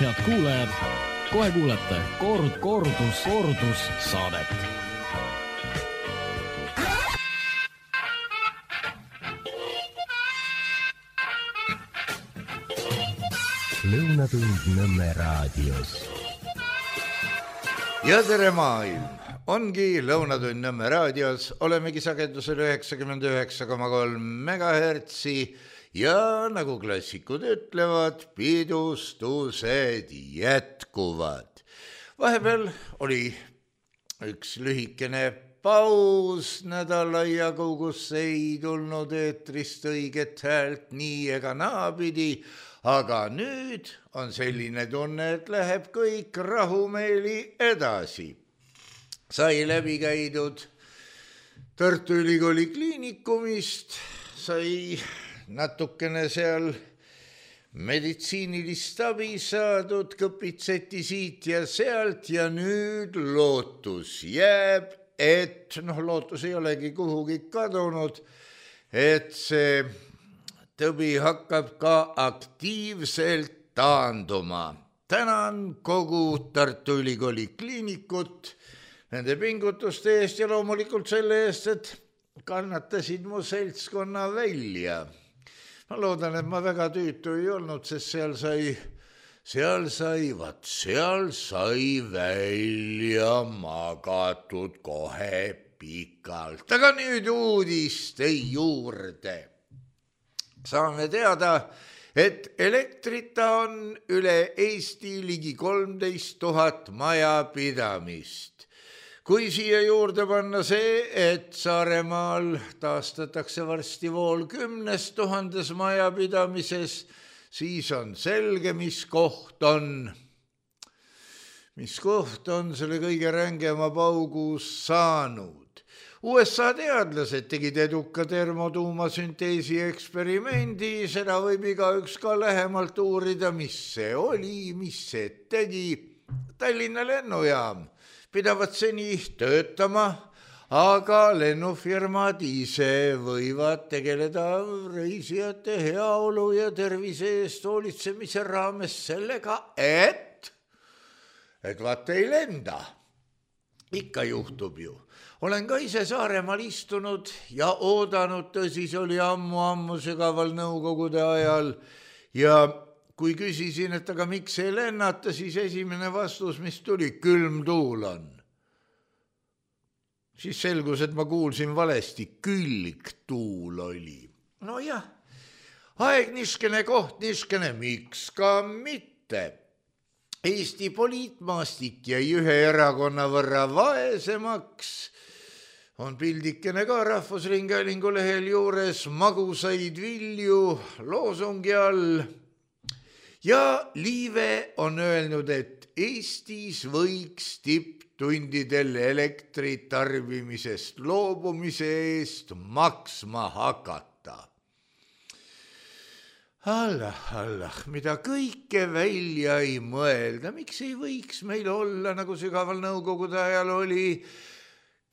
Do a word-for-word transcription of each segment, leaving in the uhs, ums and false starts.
head kuulajad, kohe kuulete kord, kordus, kordus saadet. Lõunatund Nõmme raadios. Ja tere maailm! Ongi Lõunatund Nõmme raadios, olemegi sagedusel üheksakümmend üheksa koma kolm megahertsi ja nagu klassikud ütlevad, pidustused jätkuvad. Vahepeal oli üks lühikene paus nädala jagu, kus ei tulnud eetrist õiget häält nii ega naapidi, aga nüüd on selline tunne, et läheb kõik rahumeeli edasi. Sai läbi käidud Tartu Ülikooli kliinikumist, sai natukene seal meditsiinilist abi saadud, kõpitseti siit ja sealt ja nüüd lootus jääb, et noh, lootus ei olegi kuhugi kadunud, et see tõbi hakkab ka aktiivselt taanduma. Tänan kogu Tartu Ülikooli kliinikut nende pingutuste eest ja loomulikult selle eest, et kannatasid mu seltskonna välja. Ma loodan, et ma väga tüütu ei olnud, sest seal sai, seal sai, vaat seal sai välja magatud kohe pikalt. Aga nüüd uudiste juurde. Saame teada, et elektrita on üle Eesti ligi kolmteist tuhat majapidamist. Kui siia juurde panna see, et Saaremaal taastatakse varsti vool kümnes tuhandes majapidamises, siis on selge, mis koht on, mis koht on selle kõige rängema paugus saanud. U S A teadlased tegid eduka termotuumasünteesi eksperimendi, seda võib igaüks ka lähemalt uurida, mis see oli, mis see tegi. Tallinna lennujaam pidavad seni töötama, aga lennufirmad ise võivad tegeleda reisijate heaolu ja tervise eest hoolitsemise raames sellega, et, et vaat ei lenda. Ikka juhtub ju. Olen ka ise Saaremaal istunud ja oodanud, tõsi, see oli ammu-ammu sügaval nõukogude ajal ja kui küsisin, et aga miks ei lennata, siis esimene vastus, mis tuli, külm tuul on. Siis selgus, et ma kuulsin valesti, külgtuul oli. No jah, aeg niskene, koht niskene, miks ka mitte. Eesti poliitmaastik jäi ühe erakonna võrra vaesemaks, on pildikene ka Rahvusringhäälingu lehel juures, magusaid vilju loosungi all. Ja Liive on öelnud, et Eestis võiks tipptundidel elektritarbimisest loobumise eest maksma hakata. Allah, Allah, mida kõike välja ei mõelda, miks ei võiks meil olla, nagu sügaval nõukogude ajal oli,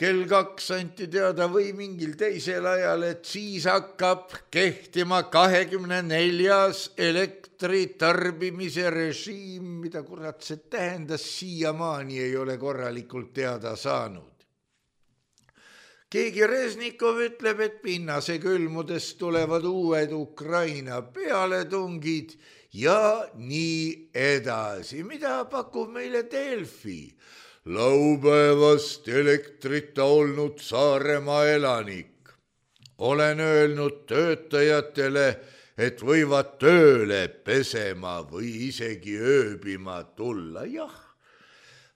kell kaks anti teada või mingil teisel ajal, et siis hakkab kehtima kahekümne neljas elektritarbimise režiim, mida kurat see tähendas, siiamaani ei ole korralikult teada saanud. Keegi Reznikov ütleb, et pinnase külmudest tulevad uued Ukraina pealetungid ja nii edasi. Mida pakub meile Delfi? Laupäevast elektrita olnud Saaremaa elanik. Olen öelnud töötajatele, et võivad tööle pesema või isegi ööbima tulla. Jah,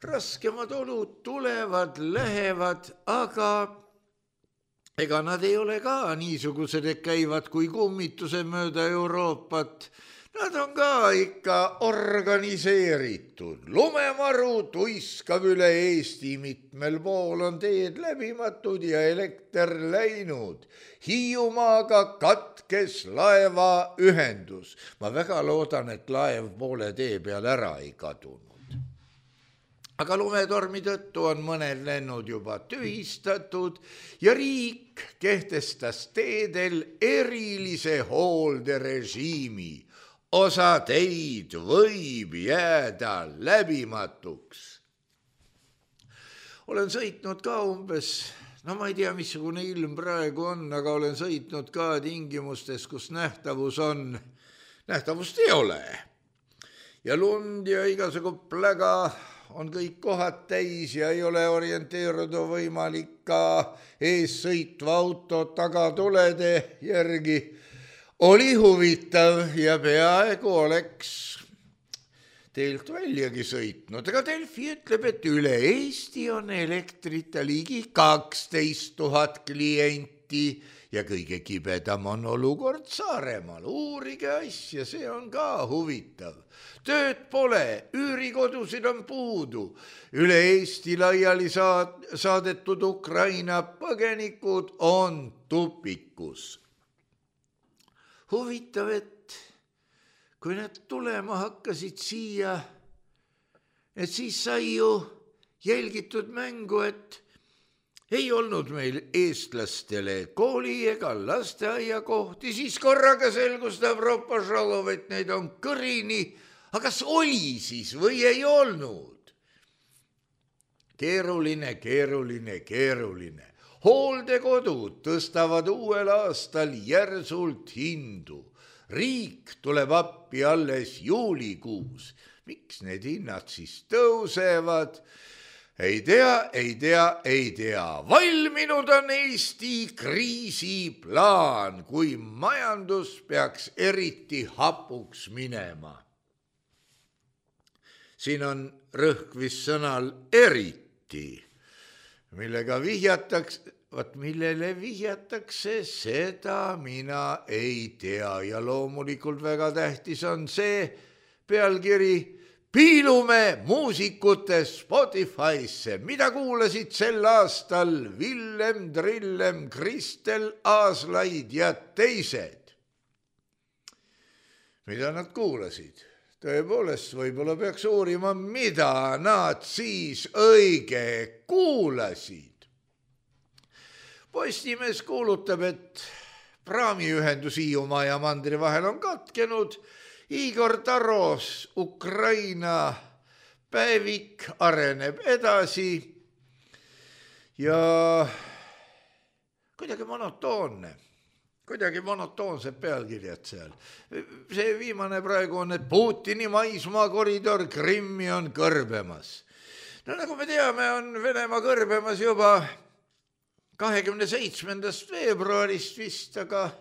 raskemad olud tulevad, lähevad, aga ega nad ei ole ka niisugused, et käivad kui kummituse mööda Euroopat. Nad on ka ikka organiseeritud. Lumemaru tuiskab üle Eesti, mitmel pool on teed läbimatud ja elekter läinud. Hiiumaaga katkes laeva ühendus. Ma väga loodan, et laev poole tee peal ära ei kadunud. Aga lumetormi tõttu on mõned lennud juba tühistatud ja riik kehtestas teedel erilise hoolderežiimi. osa teid võib jääda läbimatuks. Olen sõitnud ka umbes, no ma ei tea, missugune ilm praegu on, aga olen sõitnud ka tingimustes, kus nähtavus on, nähtavust ei ole. Ja lund ja igasugu pläga on kõik kohad täis ja ei ole orienteeruda võimalik ka ees sõitva auto tagatulede järgi. Oli huvitav ja peaaegu oleks teilt väljagi sõitnud, aga Delfi ütleb, et üle Eesti on elektrita ligi kaksteist tuhat klienti ja kõige kibedam on olukord Saaremaal. Uurige asja, see on ka huvitav. Tööd pole, üürikodusid on puudu. Üle Eesti laiali saadetud Ukraina põgenikud on tupikus. Huvitav, et kui need tulema hakkasid siia, et siis sai ju jälgitud mängu, et ei olnud meil eestlastele kooli ega lasteaia kohti, siis korraga selgus Evropa Žalov, et neid on kõrini, aga kas oli siis või ei olnud? Keeruline, keeruline, keeruline. Hooldekodud tõstavad uuel aastal järsult hindu. Riik tuleb appi alles juulikuus. Miks need hinnad siis tõusevad? Ei tea, ei tea, ei tea. Valminud on Eesti kriisiplaan, kui majandus peaks eriti hapuks minema. Siin on rõhk vist sõnal eriti, millega vihjatakse, Vat millele vihjatakse, seda mina ei tea ja loomulikult väga tähtis on see pealkiri Piilume muusikute Spotify'sse, mida kuulasid sel aastal Villem Trillem, Kristel Aaslaid ja teised. Mida nad kuulasid? Tõepoolest, võib-olla peaks uurima, mida nad siis õige kuulasid. Postimees kuulutab, et praamiühendus Hiiumaa ja mandri vahel on katkenud. Igor Taros Ukraina päevik areneb edasi ja kuidagi monotoonne, kuidagi monotoonsed pealkirjad seal. See viimane praegu on, et Putini maismaa koridor Krimmi on kõrbemas. No nagu me teame, on Venemaa kõrbemas juba kahekümne seitsmendast veebruarist vist, aga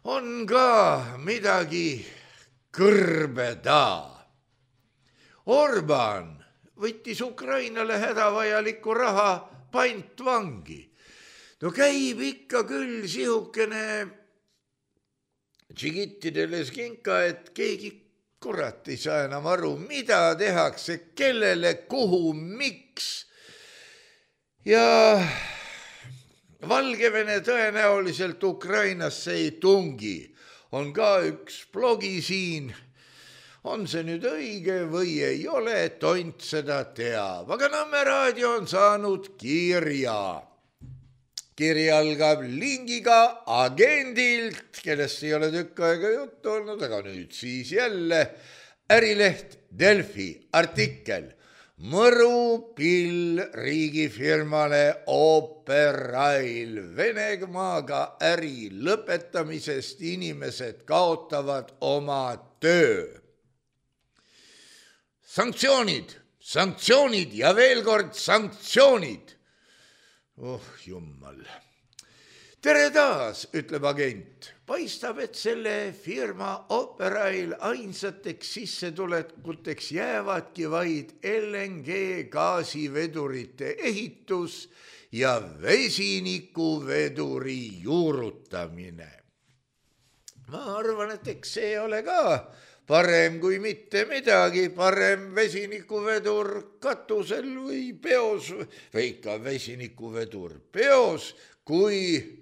on ka midagi kõrbeda. Orban võttis Ukrainale hädavajaliku raha pantvangi. No käib ikka küll sihukene džigittidele skinka, et keegi kurat ei saa enam aru, mida tehakse, kellele, kuhu, miks. Ja Valgevene tõenäoliselt Ukrainasse ei tungi. On ka üks blogi siin. On see nüüd õige või ei ole, tont seda teab. Aga Nõmme raadio on saanud kirja. Kiri algab lingiga agendilt, kellest ei ole tükk aega juttu olnud, aga nüüd siis jälle ärileht Delfi artikkel. Mõru pill riigifirmale Operail. Venemaaga äri lõpetamisest inimesed kaotavad oma töö. Sanktsioonid, sanktsioonid ja veel kord sanktsioonid. Oh jummal. Tere taas, ütleb agent. Paistab, et selle firma Operail ainsateks sissetulekuteks jäävadki vaid L N G gaasivedurite ehitus ja vesinikuveduri juurutamine. Ma arvan, et eks see ole ka parem kui mitte midagi, parem vesinikuvedur katusel või peos, või ikka vesinikuvedur peos, kui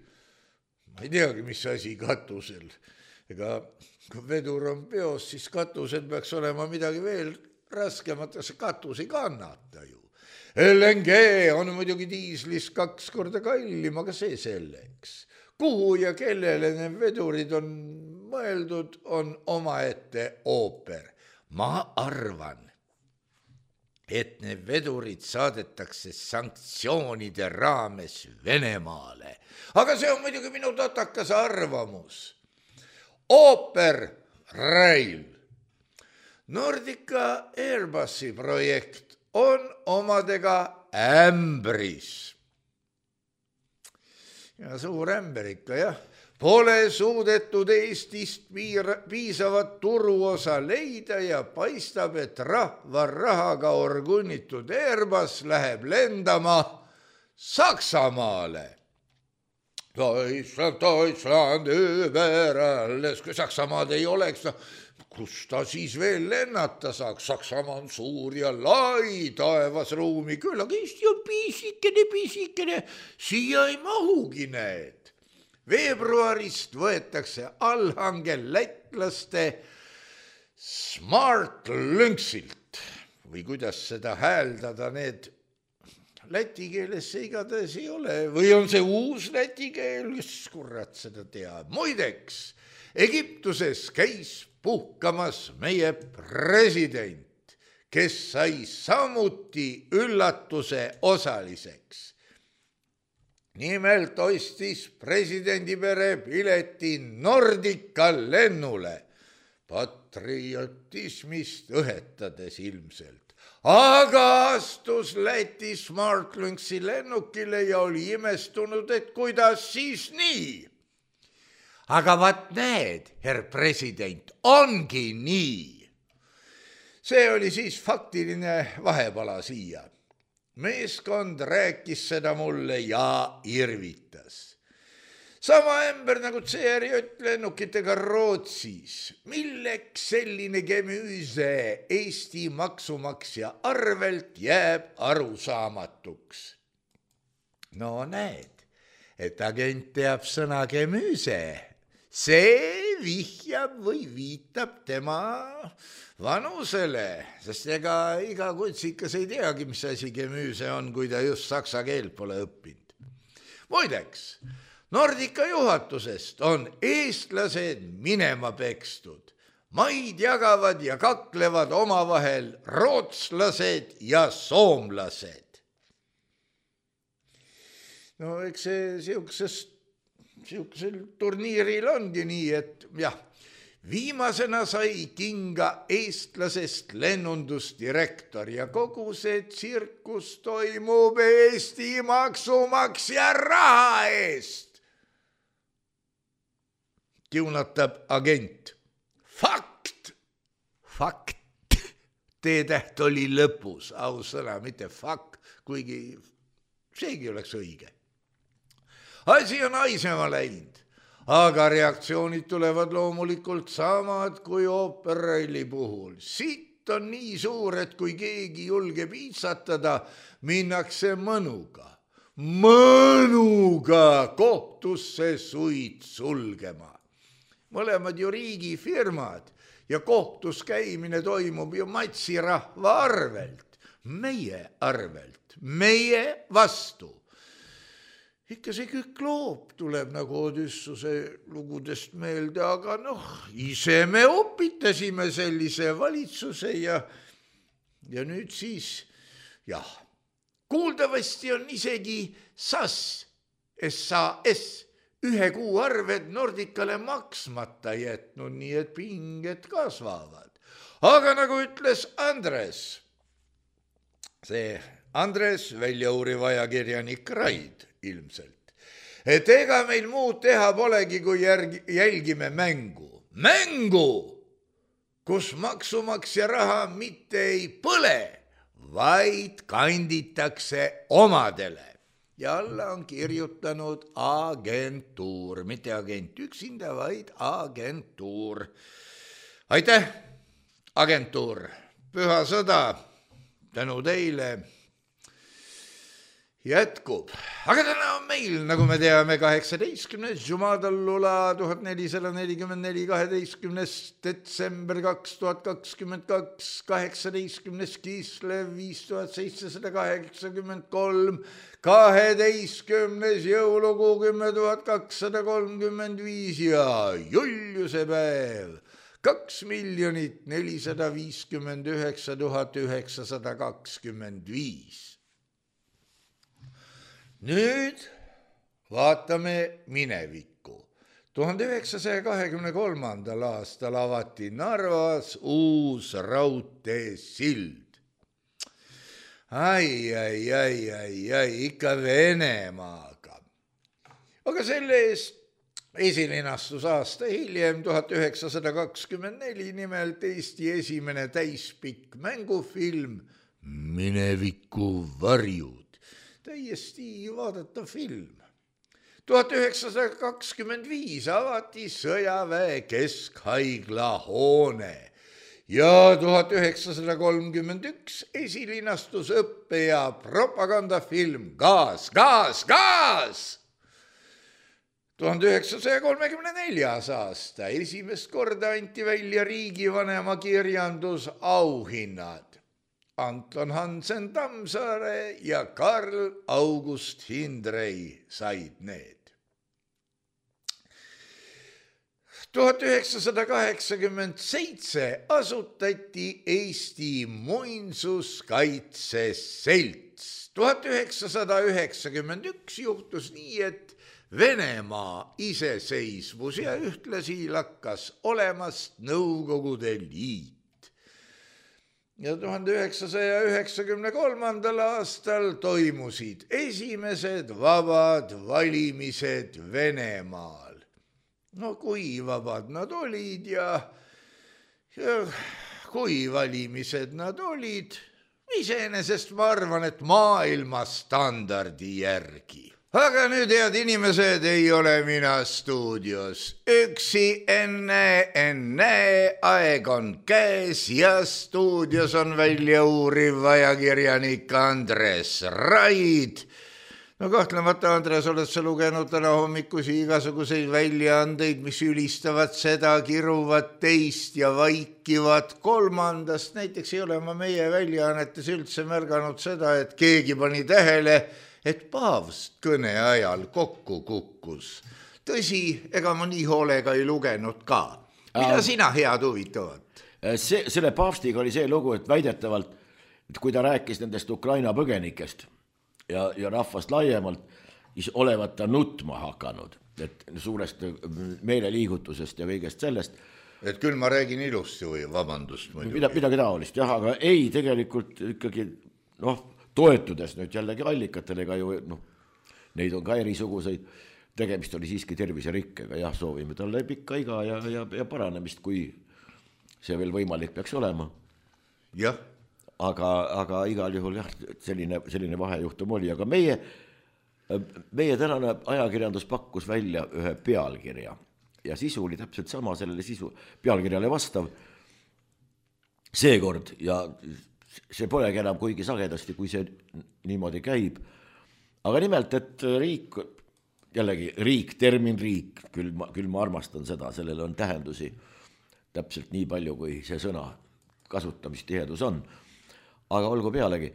ma ei teagi, mis asi katusel. Ega kui vedur on peos, siis katusel peaks olema midagi veel raskemat, see katus ei kannata ju. L N G on muidugi diislist kaks korda kallim, aga see selleks. Kuhu ja kellele need vedurid on mõeldud, on omaette ooper. Ma arvan, et need vedurid saadetakse sanktsioonide raames Venemaale. Aga see on muidugi minu totakas arvamus. Ooper Rail. Nordica Airbusi projekt on omadega ämbris. Ja suur ämber ikka, jah. Pole suudetud Eestist piisavat turuosa leida ja paistab, et rahva rahaga orgunnitud Airbus läheb lendama Saksamaale. Deutschland, Deutschland, überalles, kui Saksamaad ei oleks, kus ta siis veel lennata saaks? Saksamaa on suur ja lai taevasruumi, küll, aga Eesti on pisikene, pisikene, siia ei mahugi need. Veebruarist võetakse allhange lätlaste Smart Lynxilt või kuidas seda hääldada, need läti keeles see igatahes ei ole või on see uus läti keel, kes kurat seda teab. Muideks, Egiptuses käis puhkamas meie president, kes sai samuti üllatuse osaliseks. Nimelt ostis presidendipere pileti Nordica lennule, patriotismist õhetades ilmselt. Aga astus Läti Smart Lynxi lennukile ja oli imestunud, et kuidas siis nii. Aga vaat need, herr president, ongi nii. See oli siis faktiline vahepala siia. Meeskond rääkis seda mulle ja irvitas. Sama ämber nagu C R J lennukitega Rootsis. Milleks selline gemüüse Eesti maksumaksja arvelt jääb arusaamatuks? No näed, et agent teab sõna gemüüse. See vihjab või viitab tema vanusele, sest ega iga kutsikas ei teagi, mis asi gemüüse on, kui ta just saksa keelt pole õppinud. Muideks, Nordica juhatusest on eestlased minema pekstud. Maid jagavad ja kaklevad omavahel rootslased ja soomlased. No eks see siuksest Siuksel turniiril ongi nii, et jah, viimasena sai kinga eestlasest lennundusdirektor ja kogu see tsirkus toimub Eesti maksumaksja raha eest. Kiunatab agent. Fakt! Fakt! T-täht oli lõpus, ausõna, mitte fakt, kuigi seegi oleks õige. Asi on aisema läinud, aga reaktsioonid tulevad loomulikult samad kui Ooper Raili puhul. Sitt on nii suur, et kui keegi julgeb iitsatada, minnakse mõnuga, mõnuga kohtusse suid sulgema. Mõlemad ju riigifirmad ja kohtus käimine toimub ju matsirahva arvelt, meie arvelt, meie vastu. Ikka see Kükloop tuleb nagu Odüssuse lugudest meelde, aga noh, ise me opitasime sellise valitsuse ja, ja nüüd siis, jah, kuuldavasti on isegi S A S, S A S, ühe kuu arved Nordicale maksmata jätnud, nii et pinged kasvavad. Aga nagu ütles Andres, see Andres, väljauriv ajakirjanik Raid, ilmselt. Et ega meil muud teha polegi, kui järgi, jälgime mängu. Mängu, kus maksumaksja raha mitte ei põle, vaid kanditakse omadele. Ja alla on kirjutanud agentuur, mitte agent üksinda, vaid agentuur. Aitäh, agentuur, püha sõda, tänu teile. jätkub. Aga täna on meil, nagu me teame, kaheksateistkümnes Jumadallula tuhat nelisada nelikümmend neli, kaheteistkümnes detsember kaks tuhat kakskümmend kaks, kaheksateistkümnes Kislev viis tuhat seitsesada kaheksakümmend kolm, kaheteistkümnes jõulukuu kümme tuhat kakssada kolmkümmend viis ja Juliuse päev kaks miljonit nelisada viiskümmend üheksa tuhat üheksasada kakskümmend viis. Nüüd vaatame minevikku. tuhande üheksasaja kahekümne kolmandal aastal avati Narvas uus raudteesild. Ai, ai, ai, ai, ai, ikka Venemaaga. Aga selle eest esilinastus aasta hiljem, tuhat üheksasada kakskümmend neli, nimelt Eesti esimene täispikk mängufilm Mineviku varjud. Täiesti vaadatav film. tuhat üheksasada kakskümmend viis avati sõjaväe keskhaigla hoone ja tuhat üheksasada kolmkümmend üks esilinastus õppe- ja propagandafilm Gaas, gaas, gaas! tuhande üheksasaja kolmekümne neljas aasta esimest korda anti välja riigivanema kirjandus auhinnad. Anton Hansen Tammsaare ja Karl August Hindrei said need. tuhat üheksasada kaheksakümmend seitse asutati Eesti Muinsuskaitse Selts. tuhat üheksasada üheksakümmend üks juhtus nii, et Venemaa iseseisvus ja ühtlasi lakkas olemast Nõukogude Liit. Ja tuhande üheksasaja üheksakümne kolmandal aastal toimusid esimesed vabad valimised Venemaal. No kui vabad nad olid ja, ja kui valimised nad olid, iseenesest ma arvan, et maailma standardi järgi. Aga nüüd, head inimesed, ei ole mina stuudios. Üksi enne, enne aeg on käes ja stuudios on välja uuriv ajakirjanik Andres Raid. No kahtlemata, Andres, oled sa lugenud täna hommikusi igasuguseid väljaandeid, mis ülistavad seda, kiruvad teist ja vaikivad kolmandast. Näiteks ei ole ma meie väljaannetes üldse märganud seda, et keegi pani tähele, et paavst kõne ajal kokku kukkus. Tõsi, ega ma nii hoolega ei lugenud ka. Mida äh, sina head huvitavad? See, selle paavstiga oli see lugu, et väidetavalt, et kui ta rääkis nendest Ukraina põgenikest ja, ja rahvast laiemalt, siis olevat ta nutma hakanud, et suurest meeleliigutusest ja kõigest sellest. Et küll ma räägin ilusti või vabandust muidugi. Mida, midagi taolist, jah, aga ei, tegelikult ikkagi, noh, toetudes nüüd jällegi allikatele, ju, noh, neid on ka erisuguseid, tegemist oli siiski terviserikkega, jah, soovime talle pikka iga ja, ja, ja paranemist, kui see veel võimalik peaks olema. Jah. Aga, aga igal juhul jah, selline, selline vahejuhtum oli, aga meie, meie tänane ajakirjandus pakkus välja ühe pealkirja ja sisu oli täpselt sama sellele sisu, pealkirjale vastav seekord ja see polegi enam kuigi sagedasti, kui see niimoodi käib. Aga nimelt, et riik, jällegi riik, termin riik, küll ma, küll ma armastan seda, sellele on tähendusi täpselt nii palju, kui see sõna kasutamistihedus on. Aga olgu pealegi,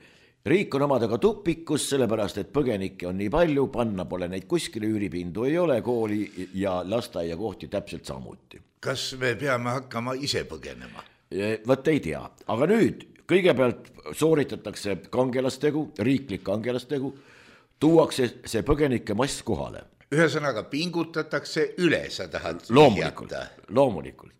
riik on omadega tupikus, sellepärast, et põgenikke on nii palju, panna pole neid kuskile, üüripindu ei ole, kooli ja lasteaia kohti täpselt samuti. Kas me peame hakkama ise põgenema? Võt ei tea, aga nüüd kõigepealt sooritatakse kangelastegu, riiklik kangelastegu, tuuakse see põgenike mass kohale. Ühesõnaga pingutatakse üle, sa tahad loomulikult, loomulikult.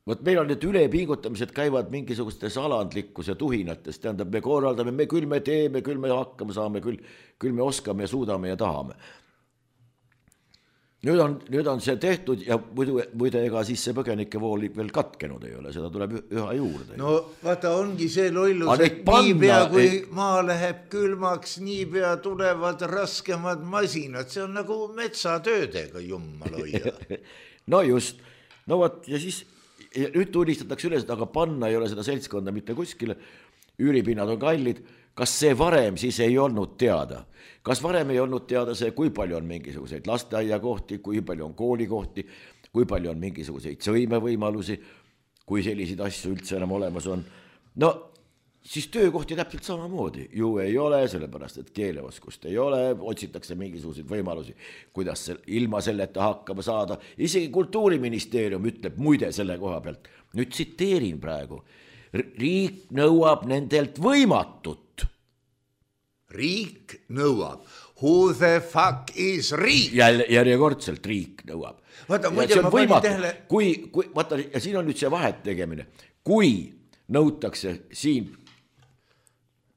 Võt meil on need ülepingutamised käivad mingisugustes alandlikkus ja tuhinates, tähendab, me korraldame, me küll me teeme, küll me hakkama saame, küll, küll me oskame ja suudame ja tahame. Nüüd on, nüüd on see tehtud ja muidu, muidu ega siis see põgenike vool veel katkenud ei ole, seda tuleb üha juurde. No vaata, ongi see lollus, et nii pea kui ei... maa läheb külmaks, nii pea tulevad raskemad masinad, see on nagu metsatöödega, jummal hoia. No just, no võt, ja siis nüüd tunnistatakse üles, aga panna ei ole seda seltskonda mitte kuskile, üüripinnad on kallid, kas see varem siis ei olnud teada? Kas varem ei olnud teada see, kui palju on mingisuguseid lasteaiakohti, kui palju on koolikohti, kui palju on mingisuguseid sõimevõimalusi, kui selliseid asju üldse enam olemas on? No siis töökohti täpselt samamoodi ju ei ole, sellepärast et keeleoskust ei ole, otsitakse mingisuguseid võimalusi, kuidas ilma selleta hakkama saada. Isegi Kultuuriministeerium ütleb muide selle koha pealt, nüüd tsiteerin praegu, riik nõuab nendelt võimatut. Riik nõuab. Who the fuck is riik? Jälle, järjekordselt riik nõuab. Vaata, muide, ma panin tähele. Kui, kui, vaata, ja siin on nüüd see vahet tegemine. Kui nõutakse siin,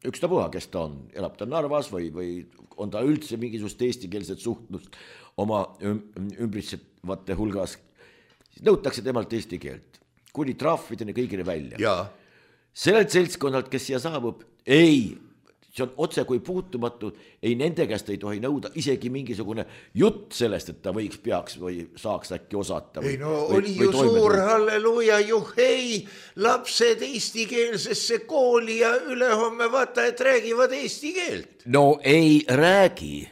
ükstapuha, kes ta on, elab ta Narvas või, või on ta üldse mingisugust eestikeelset suhtlust oma ümbritsevate hulgas, siis nõutakse temalt eesti keelt. Kuni trahvideni kõigile välja. Ja. Sellelt seltskonnalt, kes siia saabub, ei, see on otse kui puutumatu, ei nende käest ei tohi nõuda isegi mingisugune jutt sellest, et ta võiks, peaks või saaks äkki osata. Ei no või, oli ju suur halleluuja, juhei, lapsed eestikeelsesse kooli ja ülehomme vaata, et räägivad eesti keelt. No ei räägi.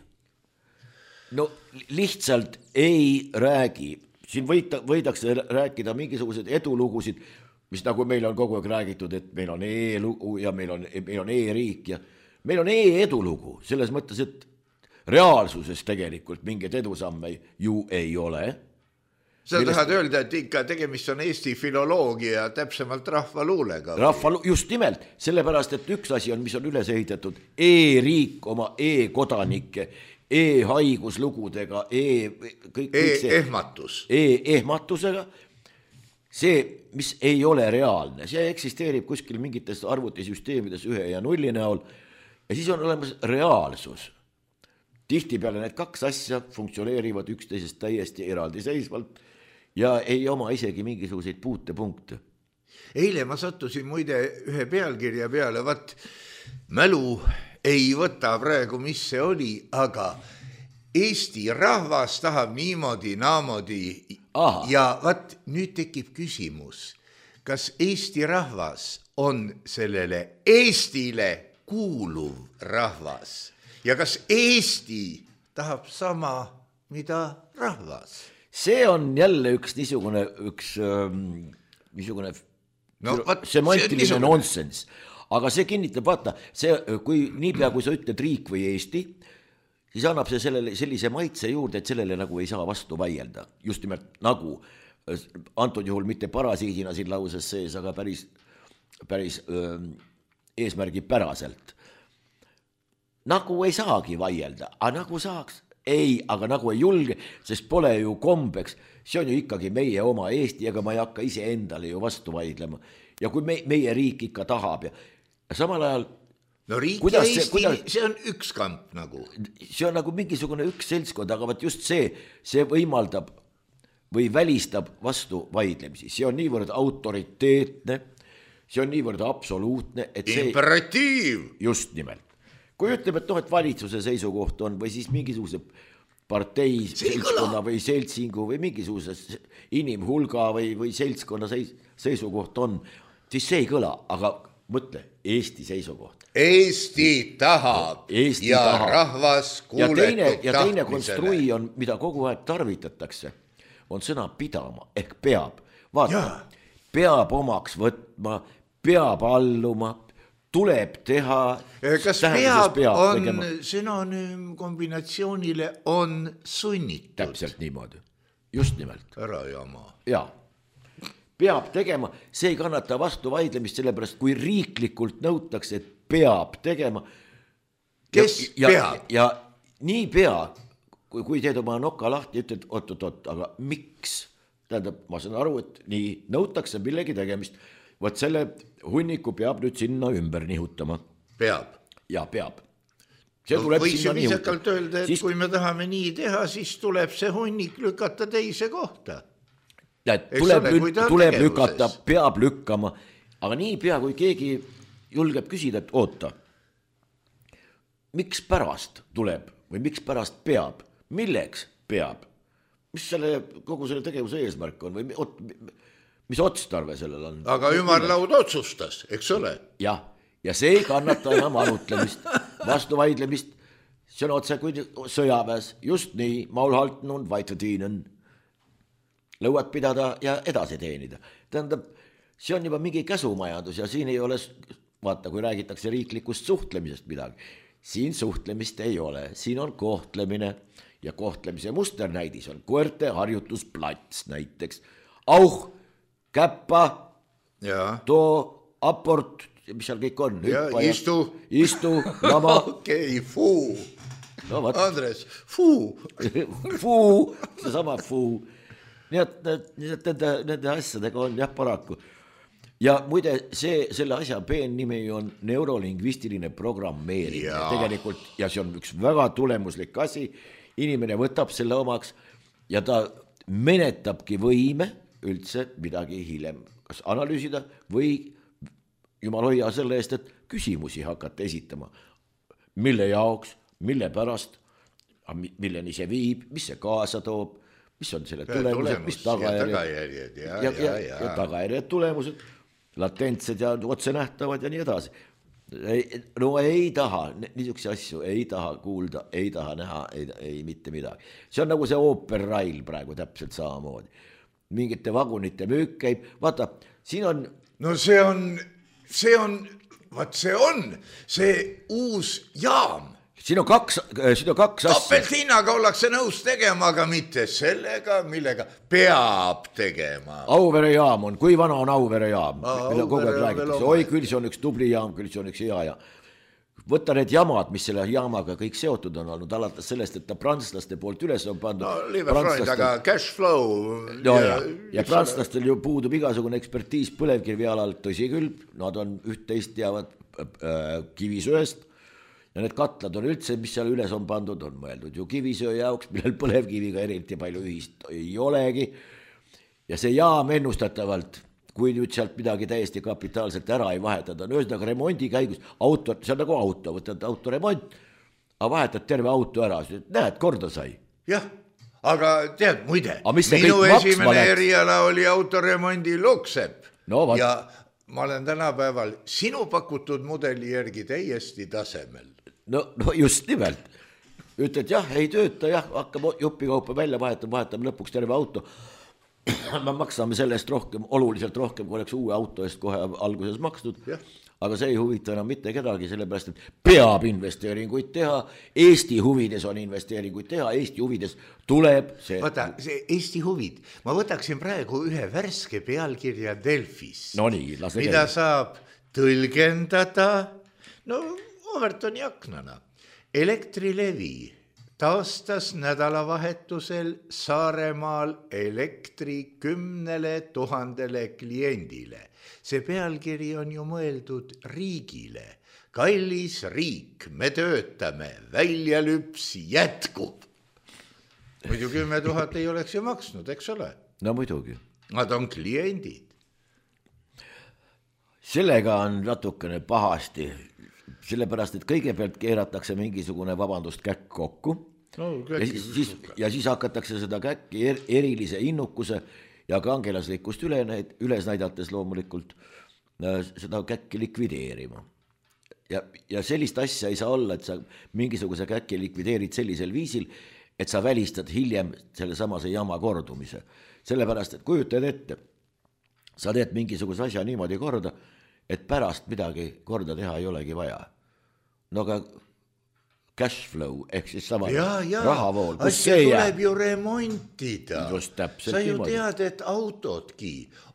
No lihtsalt ei räägi. Siin võita, võidakse rääkida mingisugused edulugusid, mis nagu meil on kogu aeg räägitud, et meil on e-lugu ja meil on, meil on e-riik ja meil on e-edulugu, selles mõttes, et reaalsuses tegelikult mingeid edusamme ju ei ole. Sa Millest... tahad öelda, et ikka tegemist on Eesti filoloogia, täpsemalt rahvaluulega? Rahvalu... Just nimelt, sellepärast, et üks asi on, mis on üles ehitatud, e-riik oma e-kodanike, e-haiguslugudega, e... kõik, kõik see... e-ehmatus. E-ehmatusega. See, mis ei ole reaalne, see eksisteerib kuskil mingites arvutisüsteemides ühe ja nulli näol ja siis on olemas reaalsus. Tihtipeale need kaks asja funktsioneerivad üksteisest täiesti eraldiseisvalt ja ei oma isegi mingisuguseid puutepunkte. Eile ma sattusin muide ühe pealkirja peale, vat mälu ei võta praegu, mis see oli, aga Eesti rahvas tahab niimoodi, naamodi. Aha. Ja vat nüüd tekib küsimus, kas Eesti rahvas on sellele Eestile kuuluv rahvas ja kas Eesti tahab sama, mida rahvas? See on jälle üks niisugune, üks ähm, niisugune no, vat, semantiline see nonsense, aga see kinnitab, vaata, see, kui niipea, kui sa ütled riik või Eesti, siis annab see sellele, sellise maitse juurde, et sellele nagu ei saa vastu vaielda. Just nimelt nagu, antud juhul mitte parasiidina siin lauses sees, aga päris, päris öö, eesmärgi päraselt. Nagu ei saagi vaielda, aga nagu saaks, ei, aga nagu ei julge, sest pole ju kombeks, see on ju ikkagi meie oma Eesti, aga ma ei hakka ise endale ju vastu vaidlema. Ja kui me, meie riik ikka tahab ja, ja samal ajal no riik ja Eesti, kuidas... see on üks kamp nagu. See on nagu mingisugune üks seltskond, aga võt just see, see võimaldab või välistab vastu vaidlemisi. See on niivõrd autoriteetne, see on niivõrd absoluutne, et see... Imperatiiv! Just nimelt. Kui ütleb, et noh, et valitsuse seisukoht on või siis mingisuguse partei seltskonna või seltsingu või mingisuguse inimhulga või, või seltskonna seis, seisukoht on, siis see ei kõla, aga mõtle, Eesti seisukoht. Eesti tahab Eesti ja tahab. Rahvas kuuletub ja teine, ja teine tahtmisele. Konstrui on, mida kogu aeg tarvitatakse, on sõna pidama ehk peab. Vaata, ja. Peab omaks võtma, peab alluma, tuleb teha. Kas peab, peab on tegema. Sünonüüm kombinatsioonile on sunnitud. Täpselt niimoodi, just nimelt. Ära jama. Jaa. Peab tegema, see ei kannata vastu vaidlemist, sellepärast kui riiklikult nõutakse, et peab tegema. Kes ja, peab? Ja, ja nii pea, kui, kui teed oma noka lahti ja ütled, oot, oot, oot, aga miks? Tähendab, ma saan aru, et nii nõutakse millegi tegemist. Võt selle hunniku peab nüüd sinna ümber nihutama. Peab. Ja peab. See no, võiks ju viisakalt öelda, et siis... kui me tahame nii teha, siis tuleb see hunnik lükata teise kohta. Ja, tuleb, ole, lü- tuleb lükata, peab lükkama, aga nii pea, kui keegi julgeb küsida, et oota, miks pärast tuleb või miks pärast peab, milleks peab, mis selle, kogu selle tegevuse eesmärk on või ot, mis otstarve sellel on? Aga ümarlaud otsustas, eks ole? Jah, ja see ei kannata enam arutlemist, vastuvaidlemist, see on otse kui sõjaväes, just nii, maul halten und weiter dienen, lõuad pidada ja edasi teenida. Tähendab, see on juba mingi käsumajandus ja siin ei ole, vaata, kui räägitakse riiklikust suhtlemisest midagi, siin suhtlemist ei ole, siin on kohtlemine ja kohtlemise musternäidis on koerte harjutusplats näiteks. Auh, käppa, ja. Too, aport, mis seal kõik on. Ja, istu. Istu, lama. Okei, okay, fuu. No, Andres, fuu. Fuu, see sama fuu. Nii et nende, nende asjadega on jah paraku. Ja muide, see, selle asja peen nimi on neurolingvistiline programmeerimine ja. Tegelikult, ja see on üks väga tulemuslik asi, inimene võtab selle omaks ja ta menetabki võime üldse midagi hiljem kas analüüsida või jumal hoia selle eest, et küsimusi hakata esitama. Mille jaoks, mille pärast, milleni see viib, mis see kaasa toob, mis on selle tulemused, tulemus, mis tagajärjed, ja tagajärjed, ja, ja, ja, ja, ja tagajärjed, tulemused, latentsed ja otse nähtavad ja nii edasi. No ei taha, niisuguse asju ei taha kuulda, ei taha näha, ei, ei mitte midagi. See on nagu see Ooper Rail praegu täpselt samamoodi. Mingite vagunite müük käib, vaata, siin on... No see on, see on, vaat see on, see uus jaam. Siin on kaks, siin on kaks asja. Topelthinnaga ollakse nõus tegema, aga mitte sellega, millega peab tegema. Auvere jaam on, kui vana on Auvere jaam? Meil on kogu aeg räägitakse, oi küll see on üks tubli jaam, küll see on üks hea ja. Võtta need jamad, mis selle jaamaga kõik seotud on olnud, alates sellest, et ta prantslaste poolt üles on pandud. No, Liiverfreund, aga cash flow. No, ja, ja, ja prantslastel ju puudub igasugune ekspertiis põlevkivi alal, tõsi küll, nad on üht-teist teavad äh, kivisööst. Ja need katlad on üldse, mis seal üles on pandud, on mõeldud ju kivisöö jaoks, millel põlevkiviga eriti palju ühist ei olegi. Ja see jaam ennustatavalt, kui nüüd sealt midagi täiesti kapitaalselt ära ei vahetada, on ühesõnaga remondi käigus, auto, see on nagu auto, võtad autoremont, aga vahetad terve auto ära, näed, korda sai. Jah, aga tead, muide, minu esimene eriala oli autoremondi loksepp no, ja ma olen tänapäeval sinu pakutud mudeli järgi täiesti tasemel. No, no just nimelt. Ütled, jah, ei tööta, jah, hakkab jupikaupa välja vahetama, vahetame lõpuks terve auto. Me maksame sellest rohkem, oluliselt rohkem, kui oleks uue auto eest kohe alguses makstud. Ja. Aga see ei huvita enam mitte kedagi, sellepärast, et peab investeeringuid teha, Eesti huvides on investeeringuid teha, Eesti huvides tuleb see... Vaata, see Eesti huvid, ma võtaksin praegu ühe värske pealkirja Delfis, no nii, mida käi. Saab tõlgendada, no Overtoni aknana. Elektrilevi taastas nädalavahetusel Saaremaal elektri kümnele tuhandele kliendile. See pealkiri on ju mõeldud riigile. Kallis riik, me töötame, väljalüps jätkub. Muidu kümme tuhat ei oleks ju maksnud, eks ole? No muidugi. Nad on kliendid. Sellega on natukene pahasti. Sellepärast, et kõigepealt keeratakse mingisugune vabandust käkk kokku no, ja, siis, ja siis hakatakse seda käkki er, erilise innukuse ja kangelaslikkust üle, üles näidates loomulikult äh, seda käkki likvideerima. Ja, ja sellist asja ei saa olla, et sa mingisuguse käkki likvideerid sellisel viisil, et sa välistad hiljem selle samase jama kordumise. Sellepärast, et kujutad ette, sa teed mingisuguse asja niimoodi korda, et pärast midagi korda teha ei olegi vaja. No aga cash flow, ehk siis sama ja, ja. Rahavool. Asja tuleb ju remontida. Just täpselt. Sa ju tead, et autodki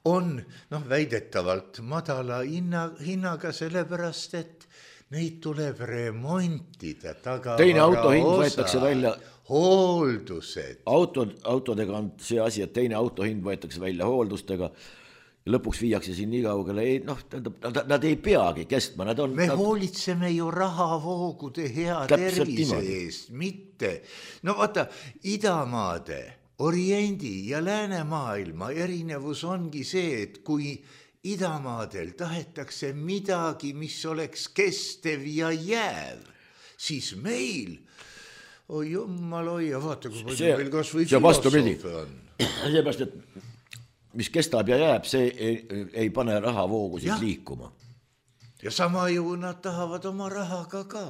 on noh, väidetavalt madala hinna, hinnaga sellepärast, et neid tuleb remontida. Teine autohind võetakse välja. Hooldused. Auto, autodega on see asi, et teine autohind võetakse välja hooldustega. Lõpuks viiakse siin nii kaugele, ei, noh, nad, nad ei peagi kestma. Nad on, me nad... hoolitseme ju rahavoogude hea tervise eest, mitte. No vaata, idamaade, oriendi ja läänemaailma erinevus ongi see, et kui idamaadel tahetakse midagi, mis oleks kestev ja jääv, siis meil, oi jummal hoia, vaata, kui palju meil kas või filosoofe on. Seepärast, et mis kestab ja jääb, see ei, ei pane rahavoogusid liikuma. ja sama ju nad tahavad oma rahaga ka.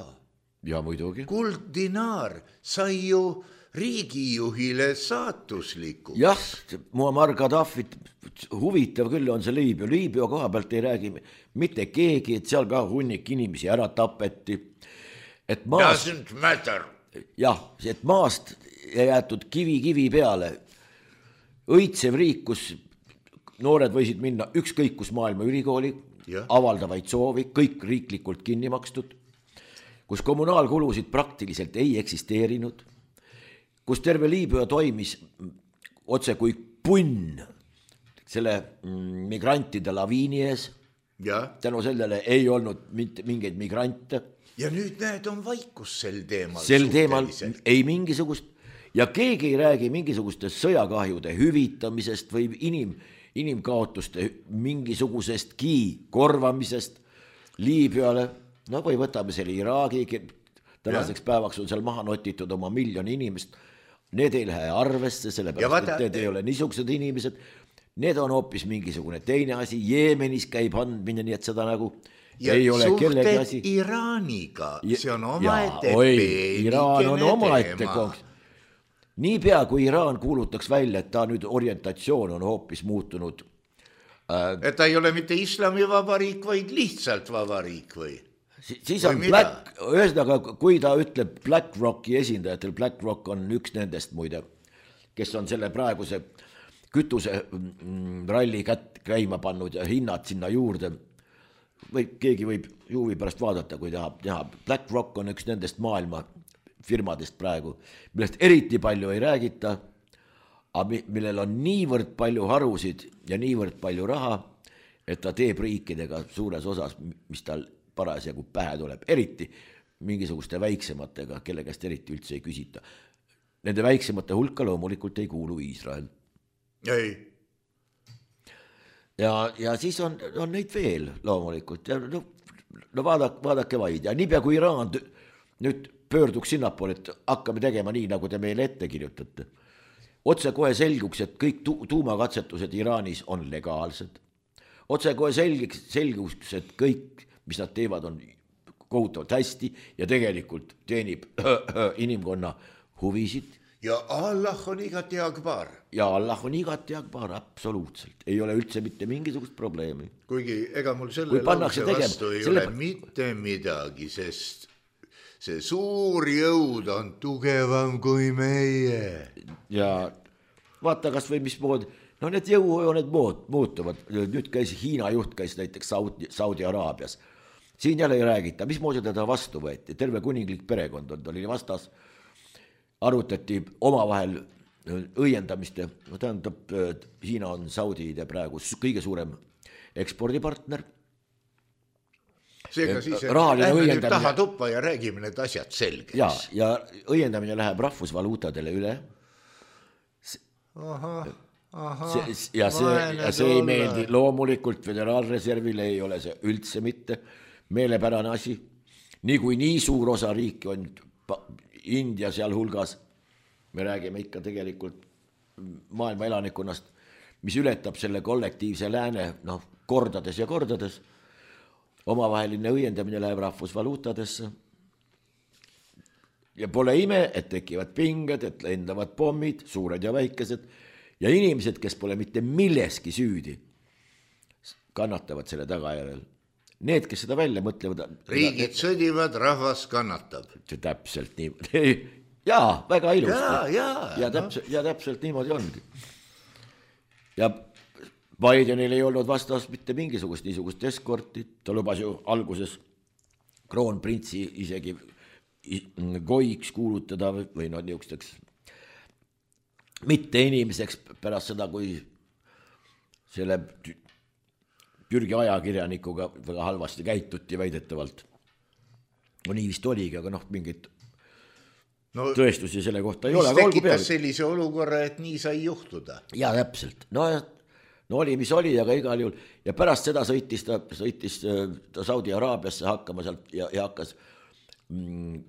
ja muidugi. Kulddinaar sai ju riigijuhile saatusliku. jah, Muammar Gaddafit huvitav küll on see Liibüa. Liibüa koha pealt ei räägi mitte keegi, et seal ka hunnik inimesi ära tapeti. Et maast, doesn't matter. jah, et maast jäetud kivi kivi peale. Õitsev riik, kus noored võisid minna ükskõik kus maailma ülikooli, ja. avaldavaid soovi, kõik riiklikult kinni makstud, kus kommunaalkulusid praktiliselt ei eksisteerinud, kus terve Liibüa toimis otse kui punn selle migrantide laviini ees. Ja. Tänu sellele ei olnud mingeid migrante. Ja nüüd näed on vaikus sel teemal. Sel teemal ei mingisugust ja keegi ei räägi mingisugustest sõjakahjude hüvitamisest või inim, inimkaotuste mingisugusestki korvamisest Liibüale. No või võtame selle Iraagi, tänaseks ja. päevaks on seal maha notitud oma miljoni inimest. Need ei lähe arvesse, sellepärast, vaata, et need ei ole niisugused inimesed. Need on hoopis mingisugune teine asi. Jeemenis käib andmine, nii et seda nagu ja ei ole kellegi asi. Iraaniga, see on omaette Iraan on omaette konks. Niipea kui Iraan kuulutaks välja, et ta nüüd orientatsioon on hoopis muutunud. Äh, et ta ei ole mitte islamivabariik, vaid lihtsalt vabariik või? Siis on Black, ühesõnaga, kui ta ütleb Black Rocki esindajatel, Black Rock on üks nendest muide, kes on selle praeguse kütuse ralli kätt käima pannud ja hinnad sinna juurde. Või keegi võib juuvi pärast vaadata, kui tahab teha. Black Rock on üks nendest maailma firmadest praegu, millest eriti palju ei räägita, aga millel on niivõrd palju harusid ja niivõrd palju raha, et ta teeb riikidega suures osas, mis tal parasjagu pähe tuleb, eriti mingisuguste väiksematega, kelle käest eriti üldse ei küsita. Nende väiksemate hulka loomulikult ei kuulu Iisrael. Ei. Ja, ja siis on, on neid veel loomulikult. Ja no, no vaadake, vaadake vaid. Ja niipea kui Iraan nüüd pöörduks sinnapoole, et hakkame tegema nii, nagu te meile ette kirjutate. Otse kohe selguks, et kõik tu- tuumakatsetused Iraanis on legaalsed. Otse kohe selguks, selguks, et kõik mis nad teevad, on kohutavalt hästi ja tegelikult teenib inimkonna huvisid. Ja Allah on igati akbar. Ja Allah on igati akbar, absoluutselt. Ei ole üldse mitte mingisugust probleemi. Kuigi ega mul selle lause vastu ei selle... ole mitte midagi, sest see suur jõud on tugevam kui meie. Ja vaata kas või mismoodi, no need jõujooned muutuvad. Nüüd käis Hiina juht, käis näiteks Saudi, Saudi Araabias. Siin jälle ei räägita, mismoodi teda vastu võeti. Terve kuninglik perekond on, ta oli vastas. Arutati omavahel õiendamiste. No tähendab, Hiina on Saudide praegu kõige suurem ekspordipartner. Seega siis, et lähme nüüd taha tuppa ja räägime need asjad selgeks. Ja, ja õiendamine läheb rahvusvaluutadele üle. Aha, aha. See, ja, see, ja see ei meeldi loomulikult Föderaalreservile, ei ole see üldse mitte meelepärane asi. Nii kui nii suur osa riiki on India seal hulgas, me räägime ikka tegelikult maailma elanikkonnast, mis ületab selle kollektiivse lääne no, kordades ja kordades. Omavaheline õiendamine läheb rahvusvaluutadesse. Ja pole ime, et tekivad pinged, et lendavad pommid, suured ja väikesed, ja inimesed, kes pole mitte milleski süüdi, kannatavad selle tagajärjel. Need, kes seda välja mõtlevad... Riigid sõdivad, rahvas kannatab. See täpselt nii. Jaa, väga ilusti. Jaa, jaa. Ja, täpselt, ja täpselt niimoodi ongi. Ja Bidenil ei olnud vastas mitte mingisugust niisugust eskorti. Ta lubas ju alguses kroonprintsi isegi goiks kuulutada või no niisugusteks mitte inimeseks pärast seda, kui selle Türgi ajakirjanikuga väga halvasti käituti väidetavalt. No nii vist oligi, aga noh, mingit no, tõestusi selle kohta ei ole. Mis tekitas sellise olukorra, et nii sai juhtuda? Ja täpselt. No, no oli, mis oli, aga igal juhul. Ja pärast seda sõitis ta, sõitis ta Saudi Araabiasse hakkama sealt ja, ja hakkas mm,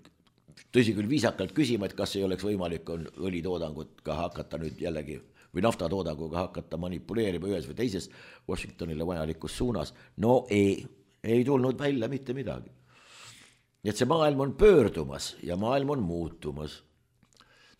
tõsi küll viisakalt küsima, et kas ei oleks võimalik on õlitoodangut ka hakata nüüd jällegi või naftatoodanguga hakata manipuleerima ühes või teises Washingtonile vajalikus suunas. No ei, ei tulnud välja mitte midagi. Nii et see maailm on pöördumas ja maailm on muutumas.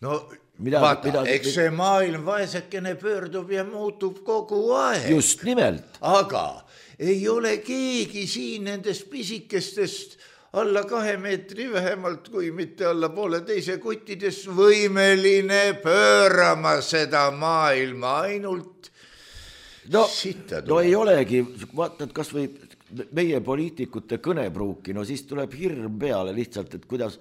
No Midagi, vaata, midagi, eks see maailm vaesekene pöördub ja muutub kogu aeg. Just nimelt. Aga ei ole keegi siin nendest pisikestest alla kahe meetri vähemalt, kui mitte alla poole teise kuttidest võimeline pöörama seda maailma ainult no, sitta tuleb. No ei olegi, vaatad kas või meie poliitikute kõnepruuki, no siis tuleb hirm peale lihtsalt, et kuidas,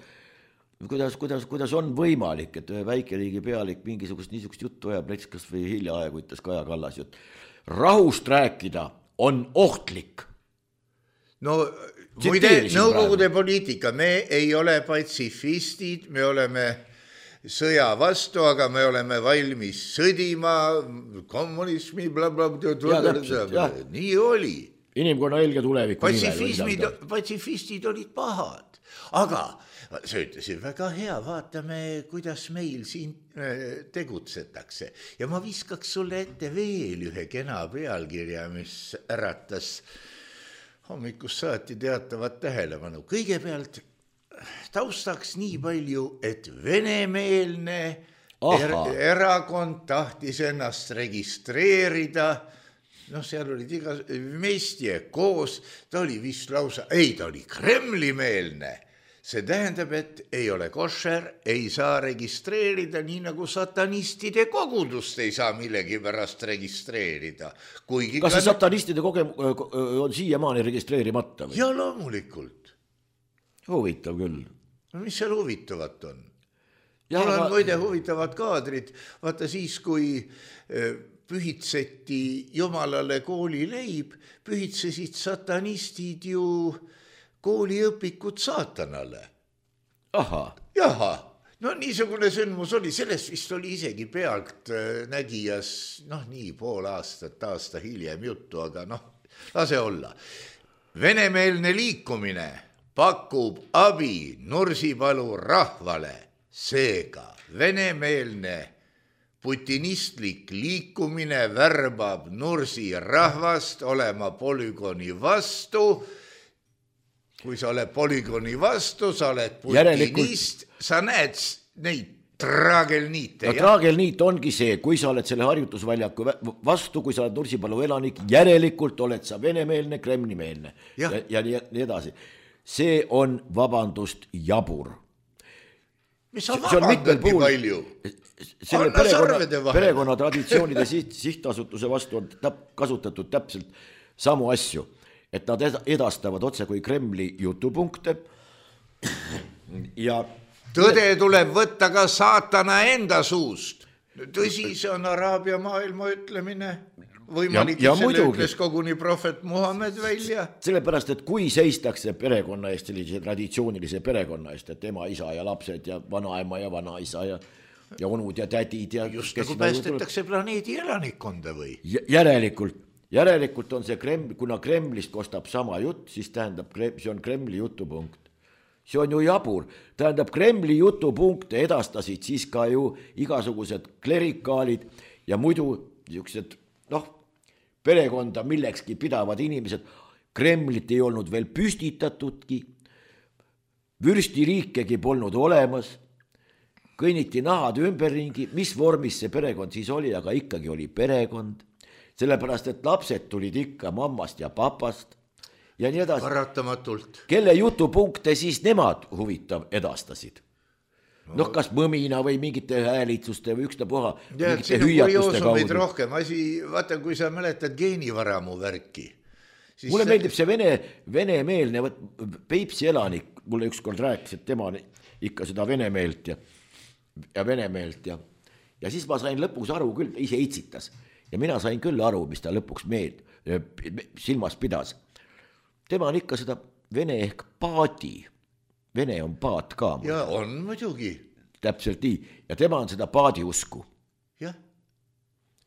kuidas, kuidas, kuidas on võimalik, et ühe väikeriigi pealik mingisugust niisugust juttu ajab, näiteks kas või hiljaaegu ütles Kaja Kallas jutt. Rahust rääkida on ohtlik. No muide, nõukogude poliitika, me ei ole patsifistid, me oleme sõja vastu, aga me oleme valmis sõdima, kommunismi, blablabla, nii oli. Inimkonna helge tuleviku nimel. Patsifistid olid pahad, aga sa ütlesid väga hea, vaatame, kuidas meil siin tegutsetakse. Ja ma viskaks sulle ette veel ühe kena pealkirja, mis äratas hommikust saati teatavat tähelepanu. Kõigepealt taustaks nii palju, et venemeelne er erakond tahtis ennast registreerida. No seal olid iga meestie koos, ta oli vist lausa, ei, ta oli Kremli-meelne. See tähendab, et ei ole košer, ei saa registreerida, nii nagu satanistide kogudust ei saa millegi pärast registreerida. Kuigi kas see satanistide kogem on siiamaani registreerimata? Või? Ja loomulikult. Huvitav küll. No mis seal huvitavat on? Ja, Mul on aga... muide huvitavad kaadrid. Vaata siis, kui pühitseti jumalale koolileib, pühitsesid satanistid ju kooliõpikud saatanale. Aha. Jaha, no niisugune sündmus oli, sellest vist oli isegi pealt nägijas, noh nii pool aastat, aasta hiljem juttu, aga noh, lase olla. Venemeelne liikumine pakub abi Nursipalu rahvale, seega venemeelne putinistlik liikumine värbab Nursi rahvast olema polügooni vastu. Kui sa oled polügooni vastu, sa oled putinist, Järelikult... sa näed neid traagelniite. No traagelniit ongi see, kui sa oled selle harjutusväljaku vastu, kui sa oled Nursipalu elanik, järelikult oled sa venemeelne, kremlimeelne ja, ja, ja nii, nii edasi. See on vabandust jabur. Mis sa vabandadki palju? Selle perekonna, perekonna traditsioonide siht, sihtasutuse vastu on täp, kasutatud täpselt samu asju, et nad edastavad otse kui Kremli jutupunkte ja tõde tuleb võtta ka saatana enda suust. Tõsi, see on Araabia maailma ütlemine. Võimalik, ja, ja selle muidugi. Ütles koguni prohvet Muhammed välja. Sellepärast, et kui seistakse perekonna eest, sellise traditsioonilise perekonna eest, et ema, isa ja lapsed ja vanaema ja vanaisa ja, ja onud ja tädid. Ja just nagu päästetakse planeedi elanikkonda või? Järelikult, järelikult on see Kreml, kuna Kremlist kostab sama jutt, siis tähendab, see on Kremli jutupunkt. See on ju jabur. Tähendab, Kremli jutupunkte edastasid siis ka ju igasugused klerikaalid ja muidu niisugused, noh, perekonda millekski pidavad inimesed. Kremlit ei olnud veel püstitatudki, vürstiriikegi polnud olemas, kõnniti nahad ümberringi, mis vormis see perekond siis oli, aga ikkagi oli perekond, sellepärast et lapsed tulid ikka mammast ja papast ja nii edasi. Paratamatult. Kelle jutupunkte siis nemad huvitav edastasid? Noh, kas mõmina või mingite häälitsuste või ükstapuha, mingite hüüatuste kaudu. Rohkem asi, vaata, kui sa mäletad geenivaramu värki. Mulle see... meeldib see vene, venemeelne, Peipsi elanik, mulle ükskord rääkis, et tema ikka seda venemeelt ja, ja venemeelt ja, ja siis ma sain lõpuks aru küll, ise itsitas ja mina sain küll aru, mis ta lõpuks meeld, silmas pidas. Tema on ikka seda vene ehk paadi. Vene on paat ka. Ja on muidugi. Täpselt nii. Ja tema on seda paadi usku. Jah.